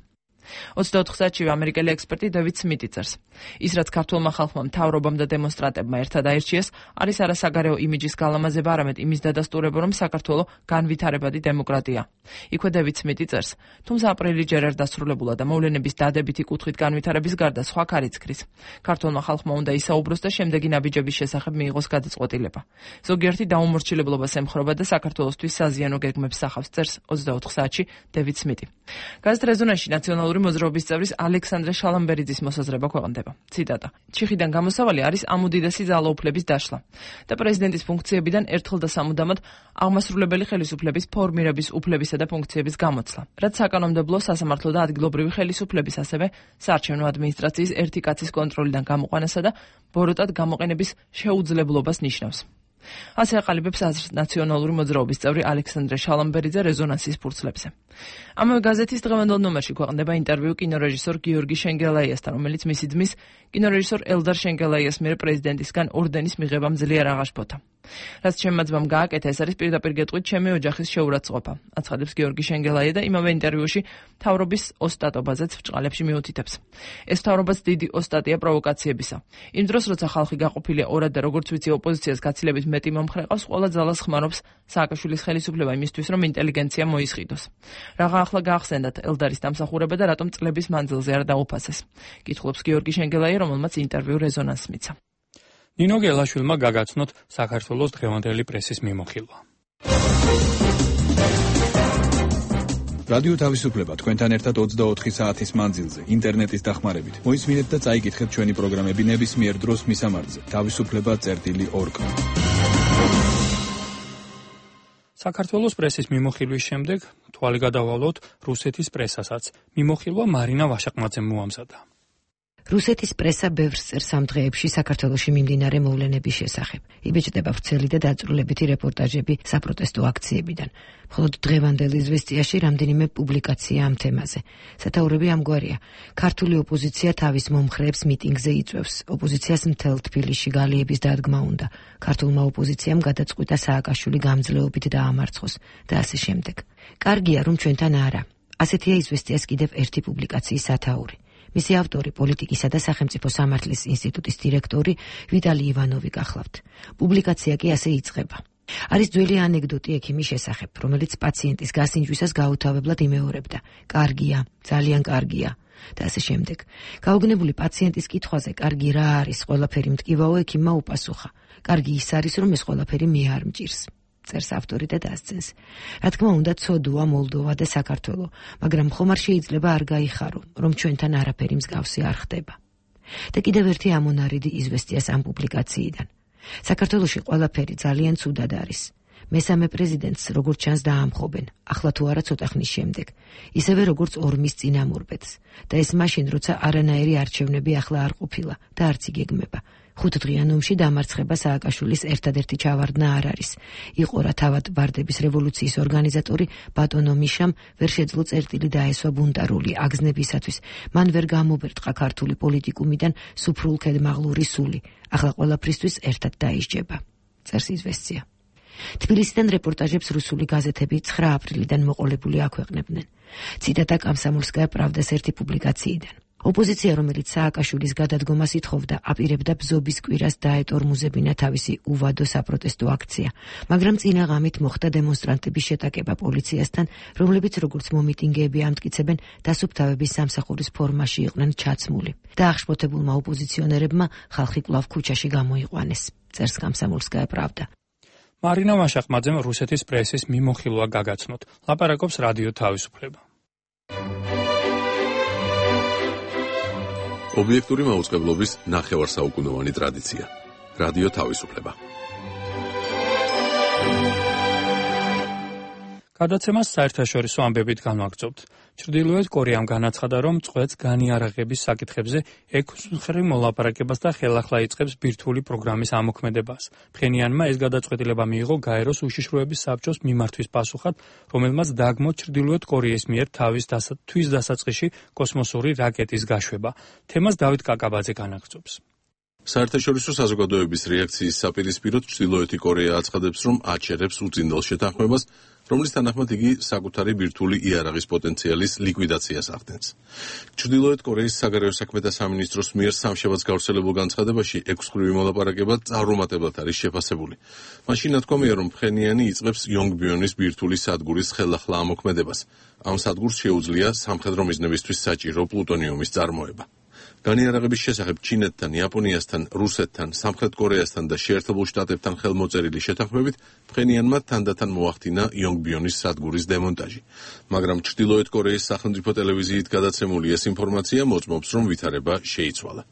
ოცდაოთხ საათში ამერიკელი ექსპერტი დევიდ სმიტი წერს. ის რაც ქართულმა ხალხმა, მთავრობამ და დემონსტრანტებმა ერთად აირჩიეს, არის არა საგარეო იმიჯის გალამაზება, არამედ იმის დადასტურება, რომ საქართველო განვითარებადი დემოკრატია. იქვე დევიდ სმიტი წერს, თუმცა აპრილი ჯერ არ დასრულებულა და მოვლენების დადებითი კუთხით განვითარების გარდა სხვა ქარიცქრის. ქართულმა ხალხმა უნდა ისაუბროს და შემდეგი ნაბიჯების შესახებ მიიღოს გადაწყვეტილება. ზოგიერთი დაუმორჩილებლობას ემხრობა და საქართველოსთვის საზიანო გეგმებს სახავს, წერს ოცდაოთხ საათში დევიდ სმიტი. გაზეთ რეზონანსში ნაციონალური მოძრაობის წევრის ალექსანდრე შალამბერიძის მოსაზრება ქვეყნდება. ციტატა: ჩიხიდან გამოსავალი არის ამ უდიდესი ძალაუფლების დაშლა და პრეზიდენტის ფუნქციებიდან ერთხელ და სამუდამოდ აღმასრულებელი ხელისუფლების ფორმირების უფლებისა და ფუნქციების გამოცლა, რაც საკანონმდებლო, სასამართლო და ადგილობრივი ხელისუფლების, ასევე საარჩევნო ადმინისტრაციის ერთი კაცის კონტროლიდან გამოყვანასა და ბოროტად გამოყენების შეუძლებლობას ნიშნავს. ასე აყალიბებს აზრს ნაციონალური მოძრაობის წევრი ალექსანდრე შალამბერიძე რეზონანსის ფურცლებზე. ამავე გაზეთის დღევანდელ ნომერში ქვეყნდება ინტერვიუ კინორეჟისორ გიორგი შენგელაიასთან, რომელიც მისი ძმის, კინორეჟისორ ელდარ შენგელაიას მიერ პრეზიდენტისგან ორდენის მიღებამ ძლიერ აღაშფოთა. რაც ჩემმა ძმამ გააკეთა, ეს არის პირდაპირ გეტყვით ჩემი ოჯახის შეურაცხყოფა, აცხადებს გიორგი შენგელაია და იმავე ინტერვიუში მთავრობის ოსტატობაზეც ბრჭყალებში მიუთითებს. ეს მთავრობაც დიდი ოსტატია პროვოკაციებისა. იმ დროს, როცა ხალხი გაყოფილია ორად და როგორც ვიცი ოპოზიციას გაცილებით მეტი მომხრე ყავს, ყველა ძალას ხმარობს სააკაშვილის ხელისუფლება იმისთვის, რომ ინტელიგენცია მოისყიდოს. რაღა ახლა გაახსენდათ ელდარის დამსახურება და რატომ წლების მანძილზე არ დაუფასეს. კითხულობს გიორგი შენგელაია, რომელმაც ინტერვიუ რეზონანსს მიცა. ნინო გელაშვილმა გაგაცნოთ საქართველოს დღევანდელი პრესის მიმოხილვა. რადიო თავისუფლება თქვენთან ერთად ოცდაოთხი საათის მანძილზე ინტერნეტის დახმარებით. მოისმინეთ და წაიკითხეთ ჩვენი პროგრამები ნებისმიერ დროს მისამართზე თავისუფლება წერტილი ორ კ. საქართველოს პრესის მიმოხილვის შემდეგ თვალი გადავალოთ რუსეთის პრესასაც. მიმოხილვა მარინა ვაშაყმაძემ მოამზადა. რუსეთის პრესა ბევრს წერს ამ დღეებში საქართველოში მიმდინარე მოვლენების შესახებ. იბეჭდება ვრცელი და დაწვრილებითი რეპორტაჟები საპროტესტო აქციებიდან. მხოლოდ დღევანდელ იზვესტიაში რამდენიმე პუბლიკაცია ამ თემაზე. სათაურები ამგვარია: ქართული ოპოზიცია თავის მომხრეებს მიტინგზე იწვევს. ოპოზიციას მთელ თბილისში გალიების დადგმა უნდა. ქართულმა ოპოზიციამ გადაწყვიტა სააკაშვილი გამძლეობით დაამარცხოს და ასე შემდეგ. კარგია, რომ ჩვენთან არა. ასეთია იზვესტიას კიდევ ერთი პუბლიკაციის სათაური. მისი ავტორი პოლიტიკისა და სახელმწიფო სამართლის ინსტიტუტის დირექტორი ვიტალი ივანოვი გახლავთ. პუბლიკაცია კი ასე იწყება. არის ძველი ანეკდოტი ექიმის შესახებ, რომელიც პაციენტის გასინჯვისას გაუთავებლად იმეორებდა: კარგია, ძალიან კარგია და ასე შემდეგ. გაუგნებული პაციენტის კითხვაზე, კარგი რა არის, ყველაფერი მტკივაო, ექიმმა უპასუხა: კარგი ის არის, რომ ეს ყველაფერი მე არ მჭირს. წერს ავტორი და დასცენს. რა თქმა უნდა, ცოდუა მოლდოვა და საქართველო, მაგრამ ხომ არ შეიძლება არ გაიხარო, რომ ჩვენთან არაფერი მსგავსი არ ხდება. და კიდევ ერთი ამონარიდი იზვესტიას ამ პუბლიკაციიდან. საქართველოში ყველაფერი ძალიან ცუდად არის. მესამე პრეზიდენტს როგორც ჩანს დაამხობენ, ახლა თუ არა ცოტა ხნის შემდეგ, ისევე როგორც ორმის წინამორბედს. და ეს მაშინ, როცა არანაირი არჩევნები ახლა არ ყოფილა და არც იგეგმება. ხუთდღიან ომში დამარცხება სააკაშვილის ერთადერთი ჩავარდნა არ არის. იყო რა თავად ვარდების რევოლუციის ორგანიზატორი ბატონო მიშამ ვერ შეძლო წერტილი დაესვა ბუნტარული აგზნებისათვის. მან ვერ გამობერტყა ქართული პოლიტიკუმიდან სუფრულქედ მაღლური სული. ახლა ყველაფრისთვის ერთად დაისჯება. წერს იზვესტია. თბილისიდან რეპორტაჟებს რუსული გაზეთები ცხრა აპრილიდან მოყოლებული აქვეყნებდნენ. ციტატა კომსომოლსკაია პრავდას ერთი პუბლიკაციიდან. ოპოზიცია, რომელიც სააკაშვილის გადადგომას ითხოვდა, აპირებდა ბზობის კვირას დაეტორმუზებინა თავისი უვადო საპროტესტო აქცია, მაგრამ წინა ღამით მოხდა დემონსტრანტების შეტაკება პოლიციასთან, რომლებიც როგორც მომიტინგეები ამტკიცებენ, დასუფთავების სამსახურის ფორმაში იყვნენ ჩაცმული და აღშფოთებულმა ოპოზიციონერებმა ხალხი კვლავ ქუჩაში გამოიყვანეს. წერს კომსომოლსკაია პრავდა. მარინა ვაშაყმაძემ რუსეთის პრესის მიმოხილვა გაგაცნოთ. ლაპარაკობს რადიო თავისუფლება. ობიექტური მაუწყებლობის ნახევარსაუკუნოვანი ტრადიცია. რადიო თავისუფლება. გადაცემას საერთაშორისო ამბებით განვაგრძობთ. ჩრდილოეთ კორეამ განაცხადა, რომ წვეთს განიარაღების საკითხებზე ექვსმხრივ მოლაპარაკებას და ხელახლა იწყებს ბირთვული პროგრამის ამოქმედებას. ფხენიანმა ეს გადაწყვეტილება მიიღო გაეროს უშიშროების საბჭოს მიმართვის პასუხად, რომელმაც დაგმო ჩრდილოეთ კორეის მიერ თავის თვის დასაწყისში კოსმოსური რაკეტის გაშვება. თემას დავით კაკაბაძე განაგრძობს. საერთაშორისო საზოგადოების რეაქციის საპირისპიროდ ჩრდილოეთი კორეა აცხადებს, რომ აჩერებს უწინდელ შეთანხმებას, რომლის თანახმად იგი საკუთარი ბირთვული იარაღის პოტენციალის ლიკვიდაციას ახდენს. ჩრდილოეთ კორეის საგარეო საქმეთა სამინისტროს მიერ სამშაბათს გავრცელებულ განცხადებაში ექვსმხრივი მოლაპარაკება წარუმატებლად არის შეფასებული. მაშინ ნათქვამია, რომ ფხენიანი იწყებს იონგბიონის ბირთვული სადგურის ხელახლა ამოქმედებას. ამ სადგურს შეუძლია სამხედრო მიზნებისთვის საჭირო პლუტონიუმის წარმოება. განიარაღების შესახებ ჩინეთთან, იაპონიასთან, რუსეთთან, სამხრეთ კორეასთან და შეერთებულ შტატებთან ხელმოწერილი შეთანხმებით ფხენიანმა თანდათან მოახდინა იონგბიონის სადგურის დემონტაჟი. მაგრამ ჩრდილოეთ კორეის სახელმწიფო ტელევიზიით გადაცემული ეს ინფორმაცია მოწმობს, რომ ვითარება შეიცვალა.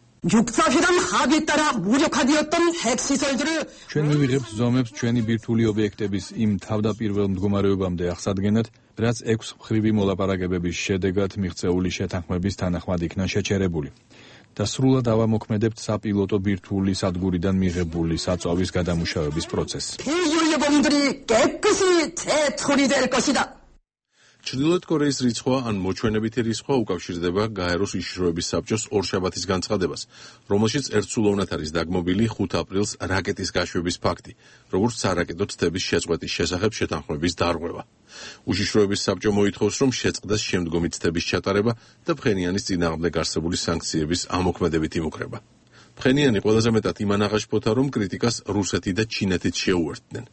ჩვენ მივიღებთ ზომებს ჩვენი ბირთვული ობიექტების იმ თავდაპირველ მდგომარეობამდე აღსადგენად, რაც ექვსმხრივი მოლაპარაკებების შედეგად მიღწეული შეთანხმების თანახმად იქნა შეჩერებული. და სრულად ავამოქმედებთ საპილოტო ბირთვული სადგურიდან მიღებული საწვავის გადამუშავების პროცესს. ჩრდილოეთ კორეის რიცხვა ან მოჩვენებითი რიცხვა უკავშირდება გაეროს უშიშროების საბჭოს ორშაბათის განცხადებას, რომელშიც ერთსულოვნად არის დაგმობილი ხუთ აპრილს რაკეტის გაშვების ფაქტი, როგორც სარაკეტო თთების შეწყვეტის შესახებ შეთანხმების დარღვევა. უშიშროების საბჭო მოითხოვს, რომ შეწყდეს შემდგომი თთების ჩატარება და ფხენიანის წინააღმდეგ არსებული სანქციების ამოქმედებით იმუქრება. ფხენიანი ყველაზე მეტად იმან აღაშფოთა, რომ კრიტიკას რუსეთი და ჩინეთიც შეუერთდნენ.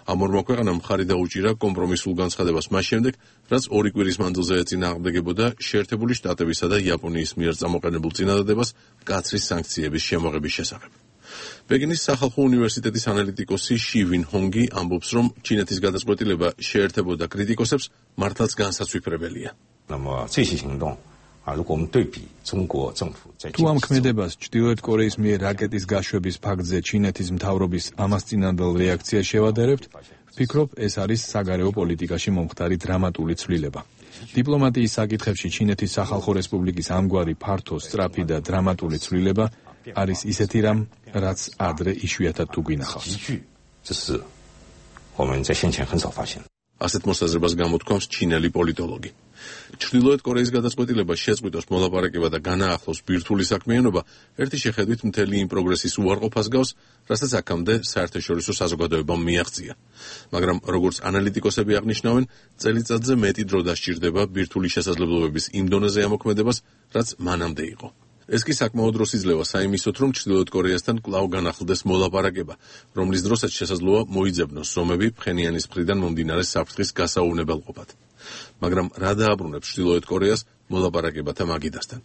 ამ ორმა ქვეყანამ მხარი დაუჭირა კომპრომისულ განცხადებას მას შემდეგ, რაც ორი კვირის მანძილზე ეწინააღმდეგებოდა შეერთებული შტატებისა და იაპონიის მიერ წამოყენებულ წინადადებას მკაცრი სანქციების შემოღების შესახებ. პეკინის სახალხო უნივერსიტეტის ანალიტიკოსი ში ვინ ჰონგი ამბობს, რომ ჩინეთის გადაწყვეტილება შეერთებოდა კრიტიკოსებს მართლაც განსაცვიფრებელია. თუ ამ ქმედებას ჩრდილოეთ კორეის მიერ რაკეტის გაშვების ფაქტზე ჩინეთის მთავრობის ამას წინანდელ რეაქციას შევადარებთ, ვფიქრობ, ეს არის საგარეო პოლიტიკაში მომხდარი დრამატული ცვლილება. დიპლომატიის საკითხებში ჩინეთის სახალხო რესპუბლიკის ამგვარი ფართო, სწრაფი და დრამატული ცვლილება არის ისეთი რამ, რაც ადრე იშვიათად თუ გვინახავს. ასეთ მოსაზრებას გამოთქვამს ჩინელი პოლიტოლოგი. ჩრდილოეთ კორეის გადაწყვეტილება შეწყვიტოს მოლაპარაკება და განაახლოს ბირთვული საქმიანობა ერთი შეხედვით მთელი იმ პროგრესის უარყოფას გავს, რასაც აქამდე საერთაშორისო საზოგადოებამ მიაღწია. მაგრამ როგორც ანალიტიკოსები აღნიშნავენ, წელიწადზე მეტი დრო დასჭირდება ბირთვული შესაძლებლობების იმ დონეზე ამოქმედებას, რაც მანამდე იყო. ეს კი საკმაოდ დროს იძლევა საიმისოთ, რომ ჩრდილოეთ კორეასთან კვლავ განახლდეს მოლაპარაკება, რომლის დროსაც შესაძლოა მოიძებნოს ზომები ფხენიანის მხრიდან მომდინარე საფრთხის გასაუვნებელყოფად. მაგრამ რა დააბრუნებს ჩრდილოეთ კორეას მოლაპარაკებათა მაგიდასთან?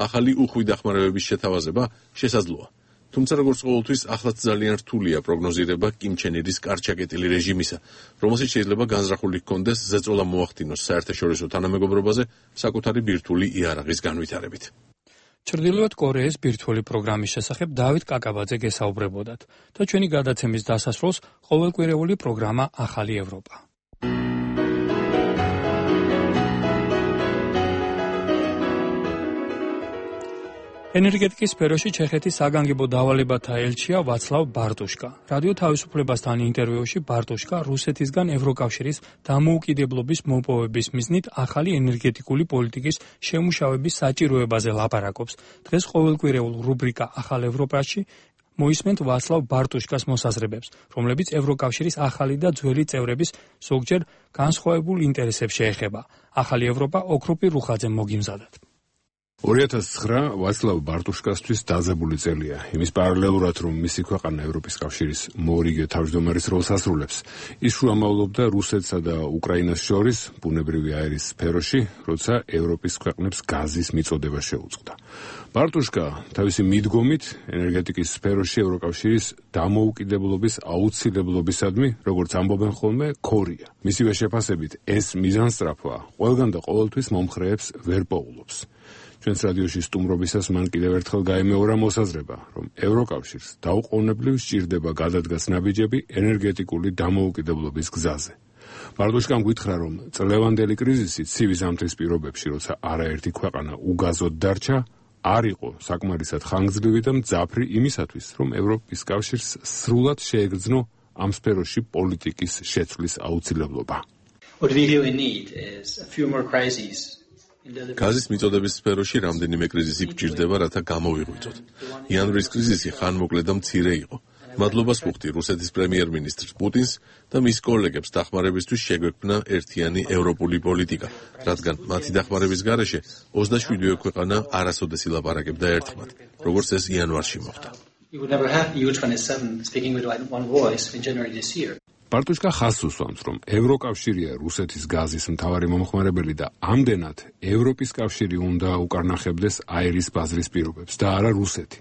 ახალი უხვი დახმარებების შეთავაზება შესაძლოა. თუმცა როგორც ყოველთვის ახლაც ძალიან რთულია პროგნოზირება კიმ ჩენ ირის კარჩაკეტილი რეჟიმისა, რომელსაც შეიძლება განზრახული ჰქონდეს ზეწოლა მოახდინოს საერთაშორისო თანამეგობრობაზე საკუთარი ბირთვული იარაღის განვითარებით. ჩრდილოეთ კორეის ბირთვული პროგრამის შესახებ დავით კაკაბაძე გესაუბრებოდათ და ჩვენი გადაცემის დასასრულს ყოველკვირეული პროგრამა ახალი ევროპა. ენერგეტიკის სფეროში ჩეხეთის საგანგებო დავალებათა ელჩია ვაცლავ ბარტუშკა. რადიო თავისუფლებასთან ინტერვიუში ბარტუშკა რუსეთისგან ევროკავშირის დამოუკიდებლობის მოპოვების მიზნით ახალი ენერგეტიკული პოლიტიკის შემუშავების საჭიროებაზე ლაპარაკობს. დღეს ყოველკვირეულ რუბრიკა ახალ ევროპაში მოისმენთ ვაცლავ ბარტუშკას მოსაზრებებს, რომლებიც ევროკავშირის ახალი და ძველი წევრების ზოგჯერ განსხვავებულ ინტერესებს შეეხება. ახალი ევროპა ოქროპი რუხაძე მოგიმზადათ. ორი ათას ცხრა ვაცლავ ბარტუშკასთვის დაძაბული წელია. იმის პარალელურად, რომ მისი ქვეყანა ევროპის კავშირის მოორიგე თავმჯდომარის როლს ასრულებს, ის შუამავლობდა რუსეთსა და უკრაინას შორის ბუნებრივი აირის სფეროში, როცა ევროპის ქვეყნებს გაზის მიწოდება შეუწყდა. ბარტუშკა თავისი მიდგომით ენერგეტიკის სფეროში ევროკავშირის დამოუკიდებლობის აუცილებლობისადმი, როგორც ამბობენ ხოლმე, ქორია. მისივე შეფასებით, ეს მიზანსწრაფვა ყველგან და ყოველთვის მომხრეებს ვერ პოულობს. ჩვენს რადიოში სტუმრობისას მან კიდევ ერთხელ გაემეორა მოსაზრება, რომ ევროკავშირს დაუყოვნებლივ სჭირდება გადადგას ნაბიჯები ენერგეტიკული დამოუკიდებლობის გზაზე. ბარტუშკამ გითხრა, რომ წლევანდელი კრიზისი ცივი ზამთრის პირობებში, როცა არაერთი ქვეყანა უგაზოდ დარჩა, არ იყო საკმარისად ხანგრძლივი და მძაფრი იმისათვის, რომ ევროპის კავშირს სრულად შეეგრძნო ამ სფეროში პოლიტიკის შეცვლის აუცილებლობა. What we really need is a few more crises გაზის მიწოდების სფეროში რამდენიმე კრიზისი გვჭირდება, რათა გამოვიღვიძოთ. იანვრის კრიზისი ხანმოკლე და მცირე იყო. მადლობას ვუხდი რუსეთის პრემიერ-მინისტრ პუტინს და მის კოლეგებს დახმარებისთვის შეგვექმნა ერთიანი ევროპული პოლიტიკა, რადგან მათი დახმარების გარეშე ოცდაშვიდივე ქვეყანა არასოდეს ილაპარაკებდა ერთხმად, როგორც ეს იანვარში მოხდა. პარტუშკა ხაზს უსვამს, რომ ევროკავშირია რუსეთის გაზის მთავარი მომხმარებელი და ამდენად ევროპის კავშირი უნდა უკარნახებდეს აირის ბაზრის პირობებს და არა რუსეთი.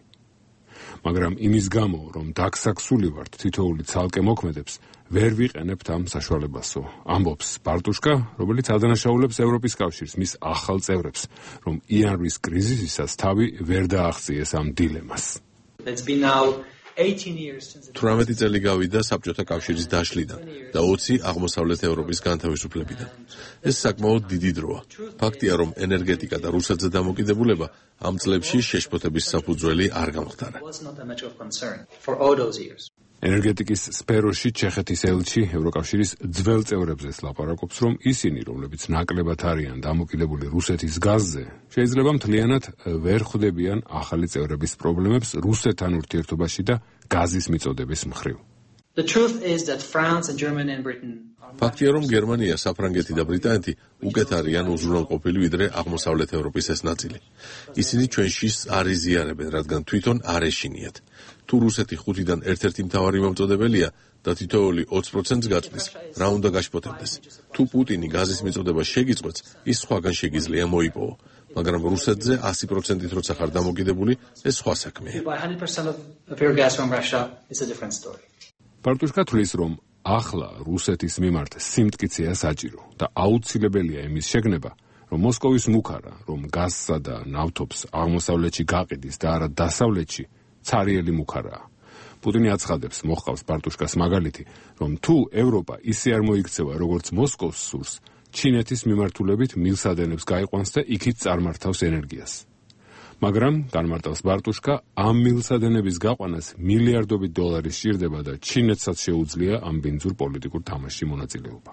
მაგრამ იმის გამო, რომ დაგსაქსული ვართ თითოეული ცალკე მოქმედებს, ვერ ვიყენებთ ამ საშუალებასო. ამბობს პარტუშკა, რომელიც ადანაშაულებს ევროპის კავშირს, მის ახალ წევრებს, რომ იანვრის კრიზისისას თავი ვერ დააღწიეს ამ დილემას. თვრამეტი წელი გავიდა საბჭოთა კავშირის დაშლიდან და ოცი აღმოსავლეთ ევროპის განთავისუფლებიდან. ეს საკმაოდ დიდი დროა. ფაქტია, რომ ენერგეტიკა და რუსეთზე დამოკიდებულება ამ წლებში შეშფოთების საფუძველი არ გამხდარა. ენერგეტიკის სფეროში ჩეხეთის ელჩი ევროკავშირის ძველ წევრებზეც ლაპარაკობს, რომ ისინი, რომლებიც ნაკლებად არიან დამოკიდებული რუსეთის გაზზე, შეიძლება მთლიანად ვერ ხვდებიან ახალი წევრების პრობლემებს რუსეთთან ურთიერთობაში და გაზის მიწოდების მხრივ. ფაქტია, რომ გერმანია, საფრანგეთი და ბრიტანეთი უკეთ არიან უზრუნველყოფილი ვიდრე აღმოსავლეთ ევროპის ეს ნაწილი. ისინი ჩვენში არ იზიარებენ, რადგან თვითონ არ ეშინიათ. თუ რუსეთი ხუთიდან ერთ-ერთი მთავარი მომწოდებელია და თითოეული ოცი პროცენტს გაწვდის, რა უნდა გაშფოთებდეს? თუ პუტინი გაზის მიწოდება შეგიწყვეტს, ის სხვაგან შეგიძლია მოიპოვო, მაგრამ რუსეთზე ასი პროცენტით როცა ხარ დამოკიდებული, ეს სხვა საქმეა. პარტუშკა თვლის, რომ ახლა რუსეთის მიმართ სიმტკიცეა საჭირო და აუცილებელია იმის შეგნება, რომ მოსკოვის მუქარა, რომ გაზსა და ნავთობს აღმოსავლეთში გაყიდის და არა დასავლეთში, ცარიელი მუქარაა. პუტინი აცხადებს, მოჰყავს პარტუშკას მაგალითი, რომ თუ ევროპა ისე არ მოიქცევა, როგორც მოსკოვს სურს, ჩინეთის მიმართულებით მილსადენებს გაიყვანს და იქით წარმართავს ენერგიას. მაგრამ განმარტავს პარტუშკა, ამ მილსადენების გაყვანას მილიარდობით დოლარი სჭირდება და ჩინეთსაც შეუძლია ამ ბინძურ პოლიტიკურ თამაშში მონაწილეობა.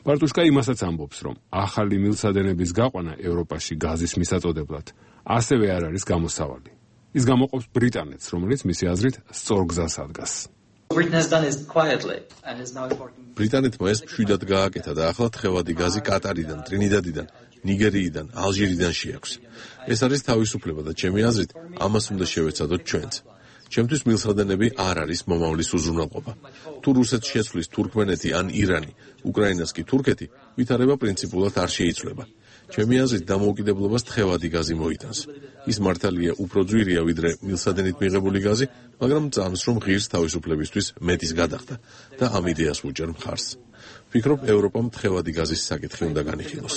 პარტუშკა იმასაც ამბობს, რომ ახალი მილსადენების გაყვანა ევროპაში გაზის მისაწოდებლად ასევე არ არის გამოსავალი. ის გამოყოფს ბრიტანეთს, რომელიც მისი აზრით სწორ გზას ადგას. ბრიტანეთმა ეს მშვიდად გააკეთა და ახლა თხევადი გაზი კატარიდან, ტრინიდადიდან, ნიგერიიდან, ალჟირიდან შეაქვს. ეს არის თავისუფლება და ჩემი აზრით, ამას უნდა შევეცადოთ ჩვენც. ჩემთვის მილსადენები არ არის მომავლის უზრუნველყოფა. თუ რუსეთს შეცვლის თურქმენეთი ან ირანი, უკრაინას კი თურქეთი, ვითარება პრინციპულად არ შეიცვლება. ჩემი აზრით, დამოუკიდებლობას თხევადი გაზი მოიტანს. ის მართალია უფრო ძვირია ვიდრე მილსადენით მიღებული გაზი, მაგრამ წამს რომ ღირს თავისუფლებისთვის მეტის გადახდა და ამ იდეას უჭერ მხარს. ვფიქრობ, ევროპამ თხევადი გაზის საკითხი უნდა განიხილოს.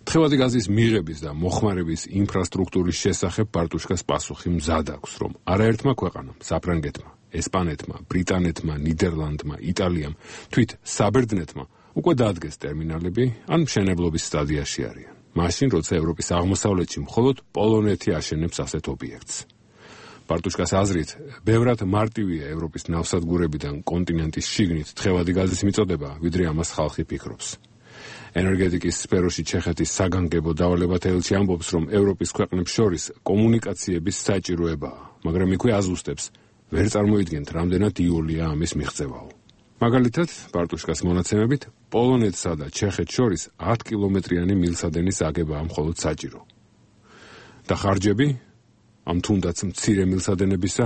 თხევადი გაზის მიღების და მოხმარების ინფრასტრუქტურის შესახებ პარტუშკას პასუხი მზად აქვს, რომ არაერთმა ქვეყანამ, საფრანგეთმა, ესპანეთმა, ბრიტანეთმა, ნიდერლანდმა, იტალიამ, თვით საბერძნეთმა უკვე დაადგეს ტერმინალები ან მშენებლობის სტადიაში არიან. მაშინ, როცა ევროპის აღმოსავლეთში მხოლოდ პოლონეთი აშენებს ასეთ ობიექტს. პარტუშკას აზრით, ბევრად მარტივია ევროპის ნავსადგურებიდან კონტინენტის შიგნით თხევადი გაზის მიწოდება, ვიდრე ამას ხალხი ფიქრობს. ენერგეტიკის სფეროში ჩეხეთის საგანგებო დავალებათა ელჩი ამბობს, რომ ევროპის ქვეყნებს შორის კომუნიკაციების საჭიროებაა, მაგრამ იქვე აზუსტებს, ვერ წარმოიდგენთ, რამდენად იოლია ამის მიღწევაო. მაგალითად, პარტუშკას მონაცემებით, პოლონეთსა და ჩეხეთს შორის ათი კილომეტრიანი მილსადენის აგებაა მხოლოდ საჭირო. და ხარჯები ამ თუნდაც მცირე მილსადენებისა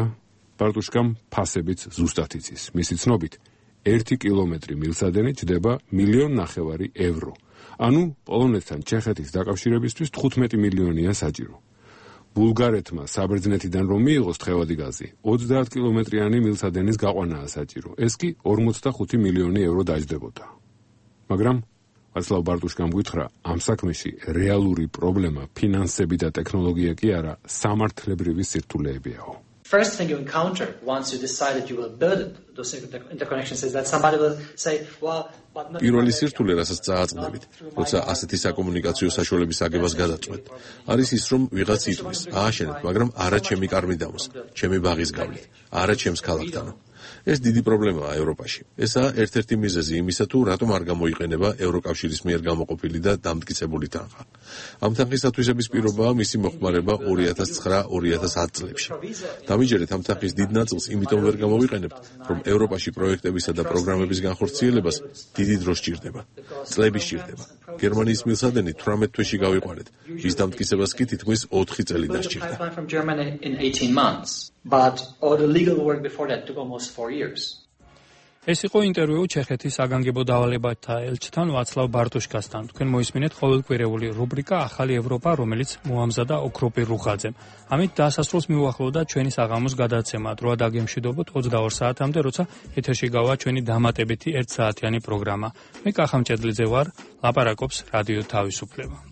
პარტუშკამ ფასებიც ზუსტად იცის. მისი ცნობით, ერთი კილომეტრი მილსადენი ჯდება მილიონ ნახევარი ევრო. ანუ პოლონეთთან ჩეხეთის დაკავშირებისთვის თხუთმეტი მილიონია საჭირო. ბულგარეთმა საბერძნეთიდან რომ მიიღოს თხევადი გაზი, ოცდაათი კილომეტრიანი მილსადენის გაყვანაა საჭირო. ეს კი ორმოცდახუთი მილიონი ევრო დაჯდებოდა. მაგრამ ვაცლავ პარტუშკამ გითხრა, ამ საქმეში რეალური პრობლემა ფინანსები და ტექნოლოგია კი არა, სამართლებრივი სირთულეებიაო. First thing you encounter once you decide that you will build those interconnections is that somebody will say, well, but not... პირველი სირთულე, რასაც წააწყდებით, როცა ასეთი საკომუნიკაციო საშუალების აგებას გადაწყვეტ, არის ის, რომ ვიღაც იტყვის, ააშენეთ, მაგრამ არა ჩემი კარმიდამოს, ჩემი ბაღის გავლით, არა ჩემს ქალაქთანო. ეს დიდი პრობლემაა ევროპაში. ესაა ერთ-ერთი მიზეზი იმისა, თუ რატომ არ გამოიყენება ევროკავშირის მიერ გამოყოფილი და დამტკიცებული თანხა. ამ თანხის ათვისების პირობაა მისი მოხმარება ორი ათას ცხრა ორი ათას ათი წლებში. დამიჯერეთ ამ თანხის დიდ ნაწილს იმიტომ ვერ გამოვიყენებთ, რომ ევროპაში პროექტებისა და პროგრამების განხორციელებას დიდი დრო სჭირდება. წლები სჭირდება. გერმანიის მილსადენი თვრამეტ თვეში გავიყვანეთ. ის დამტკიცებას კი თითქმის ოთხი წელი დასჭირდა. But all the legal work before that took almost four years. ეს იყო ინტერვიუ ჩეხეთის საგანგებო დავალებათა ელჩთან ვაცლავ ბარტუშკასთან. თქვენ მოისმინეთ ყოველკვირეული რუბრიკა ახალი ევროპა, რომელიც მოამზადა ოქროპირ რუხაძემ. ამით დასასრულს მიუახლოვდა ჩვენი საღამოს გადაცემა. დროა დაგემშვიდობოთ ოცდაორ საათამდე, როცა ეთერში გავა ჩვენი დამატებითი ერთ საათიანი პროგრამა. მე კახამჭედლიძე ვარ, ლაპარაკობს რადიო თავისუფლება.